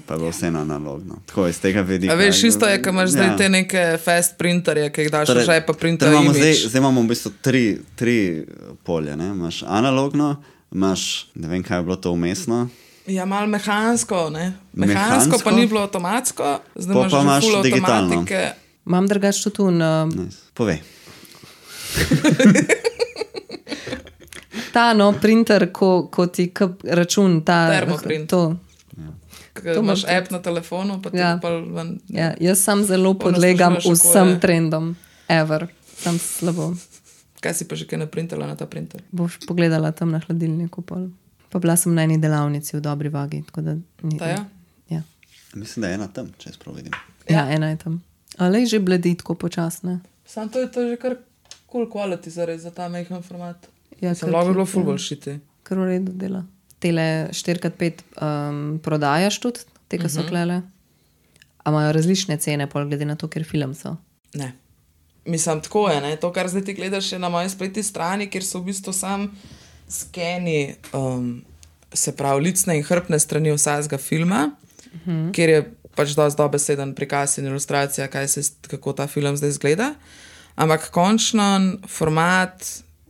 Pa je bilo vse na analogno. Tako iz tega vidika. A veš, isto je, ko imaš zdaj Ja. te neke fast printerje, ki jih daš Torej, v žep, pa torej printer imamo zdaj, imič. zdaj imamo v bistvu tri, tri polje. Ne? Imaš analogno, imaš, ne vem, kaj je bilo to umestno. Ja, malo mehansko, ne? Mehansko, Mehansko? pa ni bilo avtomatsko, zdaj Po imaš pa že imaš ful digitalno. avtomatike. Imam drugače tudi un, uh, Nice. Povej. ta no, printer, ko, ko ti kap, račun, ta... Termoprint. To. Ker To imaš imam app na telefonu, pa ti Ja. ja. pa ven. Ja, jaz sam zelo Pol podlegam naslušaš, kako vsem je. trendom, ever. Sam slabo. Kaj si pa že kaj naprintala na ta printer? Boš pogledala tam na hladilniku pol. Pa bila sem na eni delavnici v dobri vagi, tako da... Ni, Ta ja? Ja. Mislim, da je ena tam, če jaz prav vidim. Ja, ena je tam. Ale že bledi tako počasne. Sam to je to že kar cool quality zares za ta majhen format. Ja, Sem kar lahko bilo tudi, ful ja. bolj šiti. Kar v redu dela. Tele štiri krat pet um, prodajaš tudi, te, ki so Mhm. klele. A imajo različne cene, pol glede na to, ker film so. Ne. Mislim, tako je, ne? To, kar zdaj ti gledaš, je na moji spletni strani, kjer so v bistvu sam skeni, um, se pravi, licne in hrbtne strani vsakega filma, uh -huh. kjer je pač dosti dobeseden prikaz in ilustracija, kaj se, kako ta film zdaj izgleda. Ampak končen format,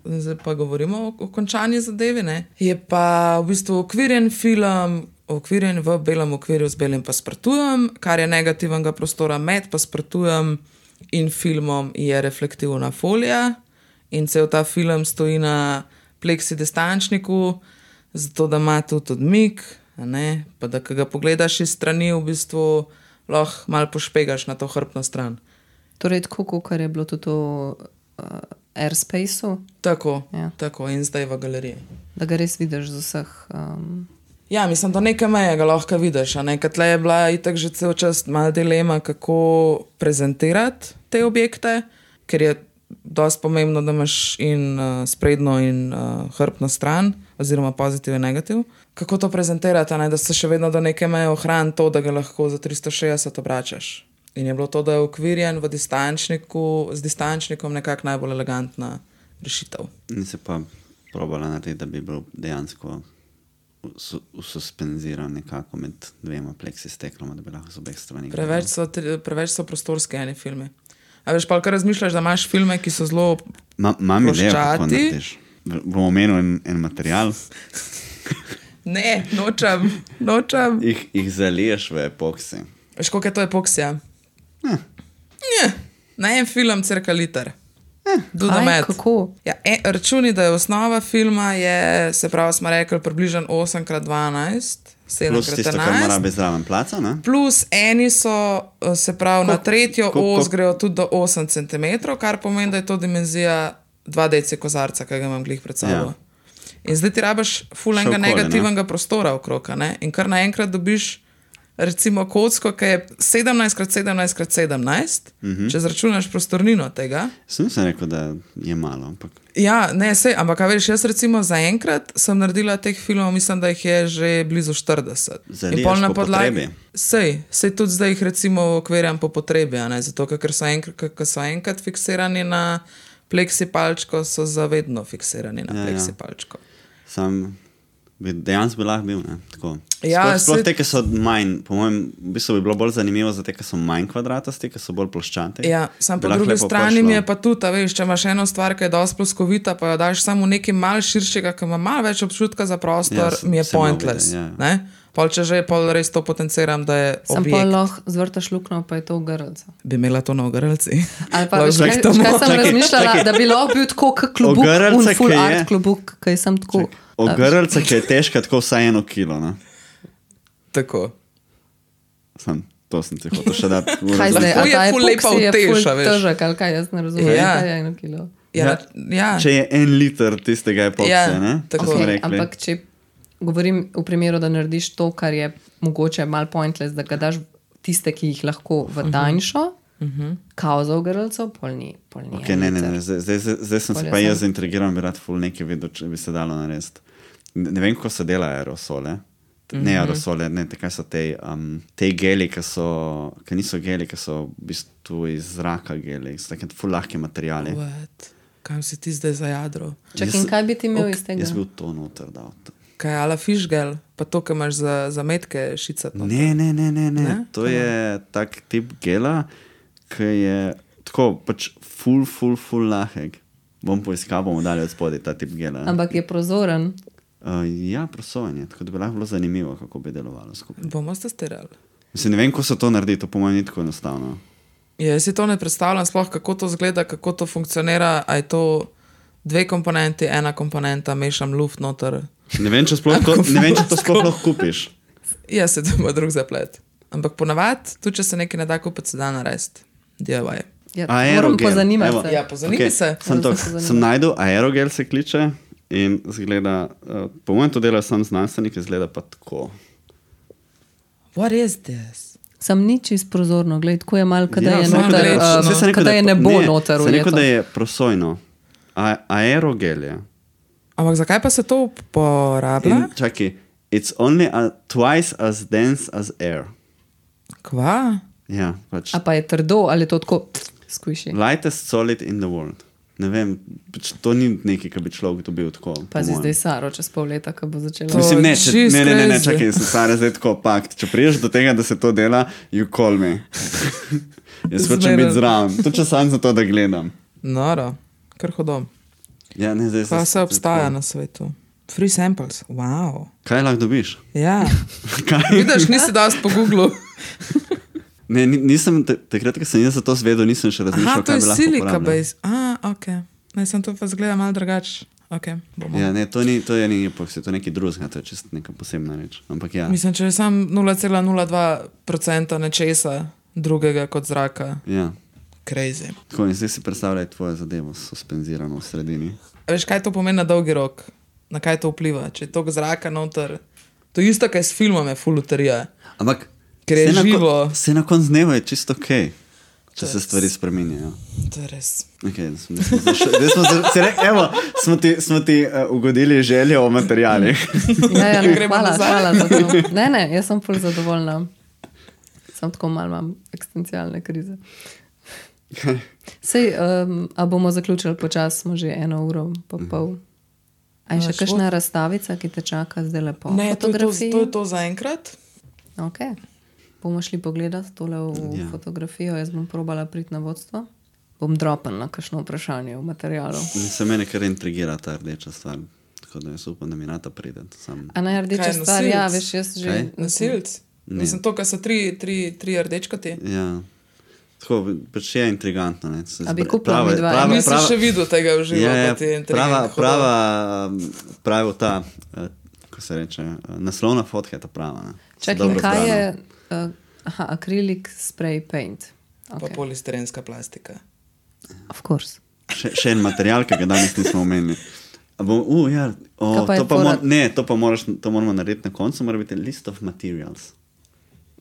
zdaj pa govorimo o, o končani zadevi, ne? Je pa v bistvu okvirjen film, okvirjen v belem okvirju z belim paspartujem, kar je negativnega prostora med paspartujem in filmom je reflektivna folija in cel ta film stoji na pleksi distančniku, zato da ima tudi odmik, a ne, pa da ko ga pogledaš iz strani, v bistvu lahko malo pošpegaš na to hrbtno stran. Torej, tako kot je bilo tudi v uh, Airspaceu, Tako, Ja. tako in zdaj v galeriji. da ga res vidiš z vseh... Um, Ja, mislim, do neke meje ga lahko vidiš. Ker tle je bila itak že cel čas malo dilema, kako prezentirati te objekte, ker je dosti pomembno, da imaš in uh, sprednjo in uh, hrbtno stran, oziroma pozitiv in negativ. Kako to prezentirati, ne? Da se še vedno do neke meje ohrani to, da ga lahko za tristo šestdeset obračaš. In je bilo to, da je ukvirjen v distančniku, z distančnikom nekako najbolj elegantna rešitev. In se pa probala narediti, da bi bil dejansko su- suspenziran nekako med dvema pleksistekloma, da bi lahko z obeh strani. Preveč so, tri- preveč so prostorski eni filmi. A veš, pa kar razmišljaš, da imaš filme, ki so zelo... Ma, Imam idejo, kako ploščati. narediš. V- Bom omenil en, en material, Ne, nočem, nočem. jih, jih zaliješ v epoksi. Veš, koliko je to epoksija? Ne. Na en film cirka liter. Do the aj, math. kako? Ja, e, računi, da je osnova filma, je, se pravi, smo rekli, približno osem krat dvanajst, sedem Plus krat tisto, kar mora enajst. biti zraven placa, ne? Plus eni so, eh, se pravi, na Koliko- tretjo koliko- os grejo tudi do osem centimetrov, kar pomeni, da je to dimenzija dva deci kozarca, ki ga imam glih pred sabo. Ja. In zdaj ti rabiš Še fulenga okoli, ne? negativnega prostora okrog, a ne? In kar naenkrat dobiš recimo kocko, ki je sedemnajst krat sedemnajst krat sedemnajst, uh -huh. če zračunaš prostornino tega. Sem nisem rekel, da je malo, ampak Ja, ne, sej, ampak a veš, jaz recimo zaenkrat sem naredila teh filmov, mislim, da jih je že blizu štirideset. Zaliješ In pol na po podlagi- potrebi. Sej, sej tudi zdaj jih recimo okvirjam po potrebi, a ne, zato ker so enkrat, ker so enkrat fiksirani na pleksi palčko, so zavedno fiksirani na Ja, ja. pleksi palčko. sam Bi dejansko bi lahko bil, ne? Tako. Ja, sploh, sploh saj- te, ki so manj, po mojem, v bistvu bi bilo bolj zanimivo za te, ki so manj kvadratasti, ki so bolj ploščati. Ja, sam Bi po lahko drugi lepo strani prišlo. mi je pa tudi, a veš, če imaš eno stvar, ki je dosti ploskovita, pa jo daš samo nekaj mal širšega, ki ima malo več občutka za prostor, Ja, se- mi je se malo pointless. vidi, ja. Ne? Pol, če že pol res to potenciram, da je Sam pa objekt, lahko zvrtaš luknjo, pa je to v grlcu. bi imela to na ogrlci. Ali pa, Lahko veš, kaj, bi to veš, kaj mo- sem Čakaj, razmišljala, čakaj. da bi lahko bil tako kot klubuk, Ogrlce, un full ki je- art klubuk, ki je sem tako. Ogrlca, ki je težka tako vsaj eno kilo, ne? Tako. Sam, to sem ti hotel še dati. v Kaj razlog. zdaj, Lahko a je ta ful epoksi lepa je utež, ful a veš. težek, ali kaj, jaz ne razumem, Ja. kaj je eno kilo. Ja, Ja, ja. Če je en liter tistega epoksija, Ja, ne? tako. To smo Okay, rekli. ampak če govorim v primeru, da narediš to, kar je mogoče mal pointless, da ga daš tiste, ki jih lahko v tanjšo, uh -huh. kao za ogrlcev, pol ni. Pol ni Okay, en ne, ne, liter. ne, zdaj, zdaj, zdaj, zdaj sem se Bolje pa sem. jaz zaintrigiral, bi rad ful nekaj videl, če bi se dalo narediti. Ne, ne vem, kako se dela aerosole. Mm -hmm. Ne aerosole, ne, te, kaj so te, um, te geli, ki so, ki niso geli, ki so v bistvu iz zraka geli, so take ful lahke materijali. What? Kam si ti zdaj za jadro? Čak, Jaz in sem- kaj bi ti imel Ok, iz tega? Jaz bil to noter dal. Kaj je ala fišgel, pa to, kar imaš za, za metke šicati. Ne, ne, ne, ne, ne. Ne? To je tak tip gela, ki je tako pač ful, ful, ful lahek. Bom poiskal, bomo dali od spodaj ta tip gela. Ampak je prozoren. Uh, ja, prosojanje, tako da bi lahko bilo zanimivo, kako bi delovalo skupaj. Bomo testirali. Mislim, ne vem, kako se to naredi, to po mojem ni tako enostavno. Ja, jaz si to ne predstavljam, sploh kako to zgleda, kako to funkcionira. A je to dve komponenti, ena komponenta, mešam luft noter. Ne vem, če, sploh to, ne vem, če to sploh lahko kupiš. Ja, se to ima drug zaplet. Ampak ponavadi, tudi če se nekaj ne da kupiti, se da narediti. D I Y. Ja, Aerogel, moram pozanimati evo. se. Ja, pozanimi se. Sem, to, Moram se pozanimati. sem najdel aerogel, se kliče in zgleda, uh, po mojem to dela sam znanstvenik, izgleda pa tako. What is this? Sem ni čist prozorno, gled, tako je malo, kada Ja, je sem rekel, noter, da je- um, saj sem rekel, kada da je po- nebo ne, noter. sem rekel, ujeto. da je prosojno. A, aerogel je. Ampak zakaj pa se to uporablja? In čakaj, it's only a, twice as dense as air. Kva? Ja, pač. A pa je trdo, ali je to tako squishy? Lightest solid in the world. Ne vem, pač to ni nekaj, kar bi človek dobil tako. po Pazi mojem. zdaj Saro, čez pol leta, ko bo začela. To- Mislim, ne, če, She's ne, ne, ne, ne, crazy. čakaj, sem stara zdaj tako pakt. Če priješ do tega, da se to dela, you call me. Jaz hočem Zmeraj. biti zraven. To če sam za to, da gledam. Noro, kar hodom. Ja, ne, zdaj Kva se- se obstaja na svetu? Free samples, wow. Kaj lahko dobiš? Ja, Kaj? vidiš, nisi dosti po Googlu. Ne, ni- nisem, te- takrat, ko sem jaz za to zvedel, nisem še razmišljal, Aha, to kaj je bi lahko silika uporabljal. base. A, ok. Ne, sem to pa zgleda malo drugače. Ok, bomo. Ja, ne, to ni, to je ni epoksi, to je nekaj drugega, to je čist neka posebna reč. Ampak ja, Mislim, če je sam nula cela nula dva procenta nečesa drugega kot zraka. ja. Crazy. Tako, in zdaj si predstavljaj tvojo zadevo suspenzirano v sredini. A veš, kaj to pomeni na dolgi rok? Na kaj to vpliva? Če je to zraka noter. To je isto, kaj s filmom je fuluterija. Ampak, Ker je saj na kon- živo. Saj na koncu dneva je čisto ok, če se stvari spreminjajo. To je res. Okay, smo, smo zaš, zdaj smo, za, se re, evo, smo ti, smo ti uh, ugodili željo o materialih. Ja, ja, ne, Gremo hvala, nazaj. hvala za to. Ne, ne, jaz sem ful zadovoljna. Sem tako malo imam eksistencialne krize. Sej, um, a bomo zaključili počasi, smo že eno uro pa pol. A je še Naš kakšna razstavica, ki te čaka zdaj lepo? Ne, to je to, Fotografiji? to, je to zaenkrat. Okay. Bomo šli pogledati tole v Ja. ja. fotografijo, jaz bom probala priti na vodstvo. Bom dropala na kakšno vprašanje v materialu. Se mene kar intrigira ta rdeča stvar, tako da jaz upam, da mi nata pride. Sam. A naj rdeča Kaj, stvar, ja, nosilec? veš, jaz že... Kaj? Nasilc. Ne. Mislim, to, kar so tri, tri, tri rdečkati. Ja. Tako, pač je intrigantno. Ne. Se A bi zbra- kupila prava- midva? prava- Nisem prava- še videl tega v živo. Ja, ja, pa ti je prava, intrigant prava, um, pravi ta, uh, ko se reče, uh, naslovna fotka je ta prava. Ne. So Čakaj, dobro in kaj zbrana. je uh, aha, acrylic spray paint? Pa Okay. polistirenska plastika. Of course. Še, še en material, ki ga danes nismo omenili. A Bom, uh, ja, o, Kaj pa je to, pa fora? mor, ne, to pa moraš, to moramo narediti na koncu, mora biti list of materials.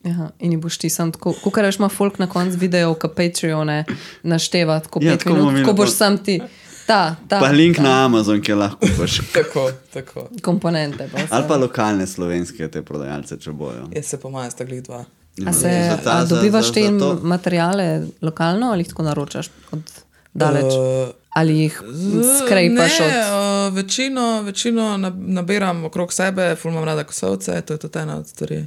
Aha, in ji boš ti sam tako, kot reš, ima folk na koncu videov, ki Patreone našteva tako Ja, pet tako bomo minut, imeli ko boš to. sam ti ta, ta, Pa link ta na Amazon, ki lahko kupaš. Tako, tako. komponente. Pa vse. Ali pa lokalne slovenske te prodajalce, če bojo. Jaz se po mojem sta glih dva. A, se, Za ta- a za- dobivaš za- te za to- materiale lokalno ali jih tako naročaš od daleč? Uh, Ali jih skrajpaš od... Ne, uh, večino, večino nabiram okrog sebe, ful imam rada kosovce, to je tudi ena od stvari.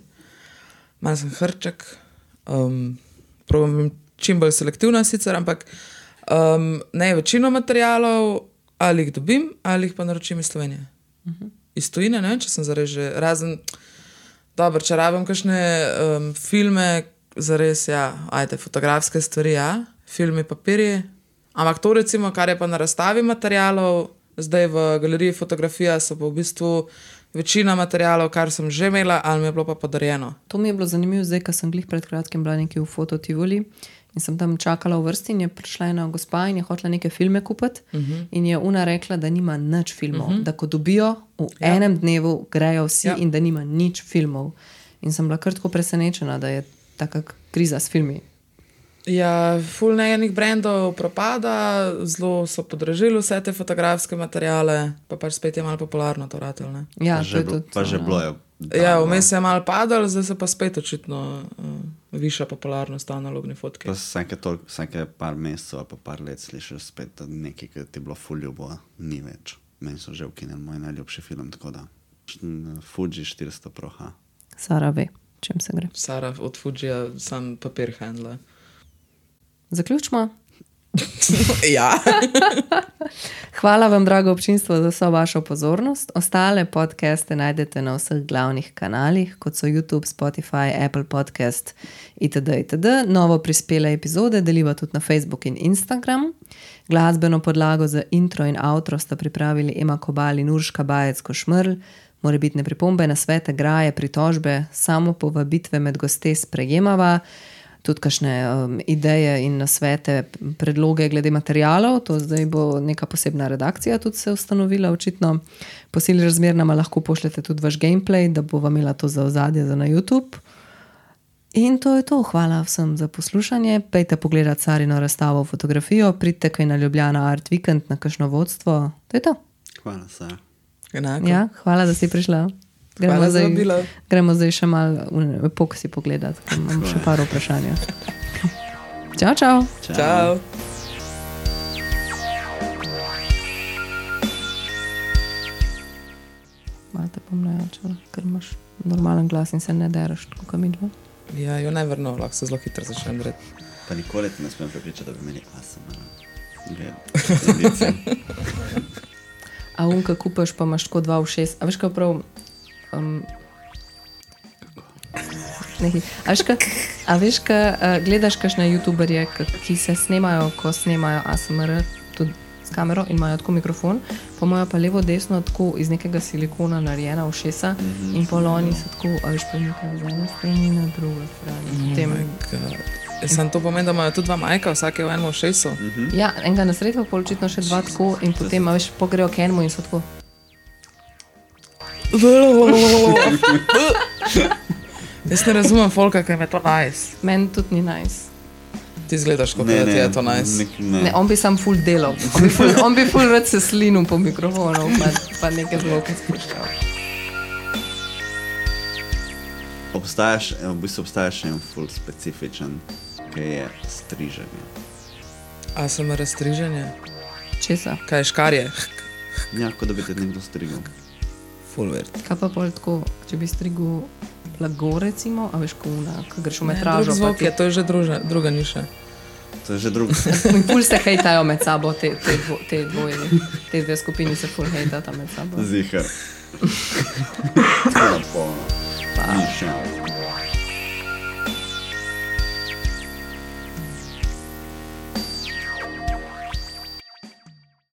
Malo sem hrček, um, probam čim bolj selektivna sicer, ampak um, ne, večino materialov ali jih dobim, ali jih pa naročim iz Slovenije. Uh-huh. Iz tujine, ne vem, če sem zares že razen, dobro, če rabim kakšne um, filme, zares, ja, ajde, fotografske stvari, ja, filmi, papirji, ampak to recimo, kar je pa na razstavi materialov, zdaj v galeriji fotografija so pa v bistvu večina materialov, kar sem že imela, ali mi je bilo pa podarjeno. To mi je bilo zanimivo zdaj, ko sem glih pred kratkim bila nekaj v Fototivoli in sem tam čakala v vrsti in je prišla ena gospa in je hotela neke filme kupiti uh-huh. in je ona rekla, da nima nič filmov, uh-huh. da ko dobijo v ja. enem dnevu grejo vsi ja. in da nima nič filmov. In sem bila kar tako presenečena, da je taka kriza s filmi. Ja, ful nejenih brandov propada, zelo so podražili vse te fotografske materiale, pa pač spet je malo popularno to ratelo, ne? Ja, pa že, to je tudi, pa že bilo je. Ja, vmes je malo padal, zdaj se pa spet očitno uh, viša popularnost analogni fotki. Pa vsake, tol, vsake par mesecev ali pa par let slišiš spet, da nekaj, ki ti je bilo ful ljubo, ni več. Meni so že ukinili moj najljubši film, tako da Fuji štiristo Pro H. Sara ve, čem se gre. Sara od Fujija sam papir handla. Zaključimo. Ja. Hvala vam, drago občinstvo, za vso vašo pozornost. Ostale podcaste najdete na vseh glavnih kanalih, kot so YouTube, Spotify, Apple Podcast itd. itd. Novo prispele epizode deliva tudi na Facebook in Instagram. Glasbeno podlago za intro in outro sta pripravili Ema Kobal in Urška Bajec-Košmrl. Morebitne pripombe, nasvete, graje, pritožbe, samo povabitve med goste sprejemava. Tudi kakšne um, ideje in nasvete, predloge glede materialov, to zdaj bo neka posebna redakcija tudi se ustanovila očitno. Po sili razmer nama lahko pošljete tudi vaš gameplay, da bo vam imela to za ozadje za na YouTube. In to je to. Hvala vsem za poslušanje. Pejte pogledati Sarino razstavo fotografijo, pridite kaj na Ljubljana Art Weekend na kakšno vodstvo. To je to. Hvala, Sara. Enako. Ja, hvala, da si prišla. Gremo Hvala zdaj, za vabilo. gremo zdaj še malo epoksi pogledati, ker imam še par vprašanja. Čau, čau. Čau. Čau. Malo te bom najačala, ker imaš normalen glas in se ne deraš, tako kot mi dva. Ja, jo ne vrno, lahko se zelo hitro začne narediti. Pa nikoli te ne smem prepričati, da bi imeli A S M R. A unka kupaš, pa imaš tako dva v šest. A veš, kaj prav... Um, nekaj. A veš, kaj, a veš, kaj uh, gledaš kakšne youtuberje, ki se snemajo, ko snemajo A S M R, tudi s kamero in imajo tako mikrofon, pa imajo pa levo desno tako iz nekega silikona narejena ušesa mm-hmm. in pol oni so tako, a veš, premikajo z ene strani na drugo strani. Oh Tem, my God. Sem to pomeni, da imajo tudi dva majka, vsak je v enem ušesu. Mm-hmm. ja, enega na sredstvo, pol očitno še dva tako in potem, a veš, pogrejo k enemu in so tako. Jaz ne razumem folka, kaj me to nice. Meni tudi ni nice. Ti zgledaš, kako da ti je to nice. nek- ne. Ne, on bi sam ful delal. On bi ful, on bi ful rad se slinil po mikrofonu, pa, pa neke zvoke spuščal. Obstajaš, v bistvu obstajaš en ful specifičen, ki je striženje. A sem razstriženje? Česa? Kaj je škarje? Ja, kot da bi te nekdo strigel. Full weird. Kaj pa pol tako, če bi strigel blago recimo, a veš, ko una, ko greš v Ne, metražo, drug pa zvok ti... je, to je že druža, druga niša. To je že drugo. In ful se hejtajo med sabo, te, te, dvo, te dvoje, te dve skupini se ful hejtata med sabo. Zihar. Tako da polno. Pa. Nič, ja.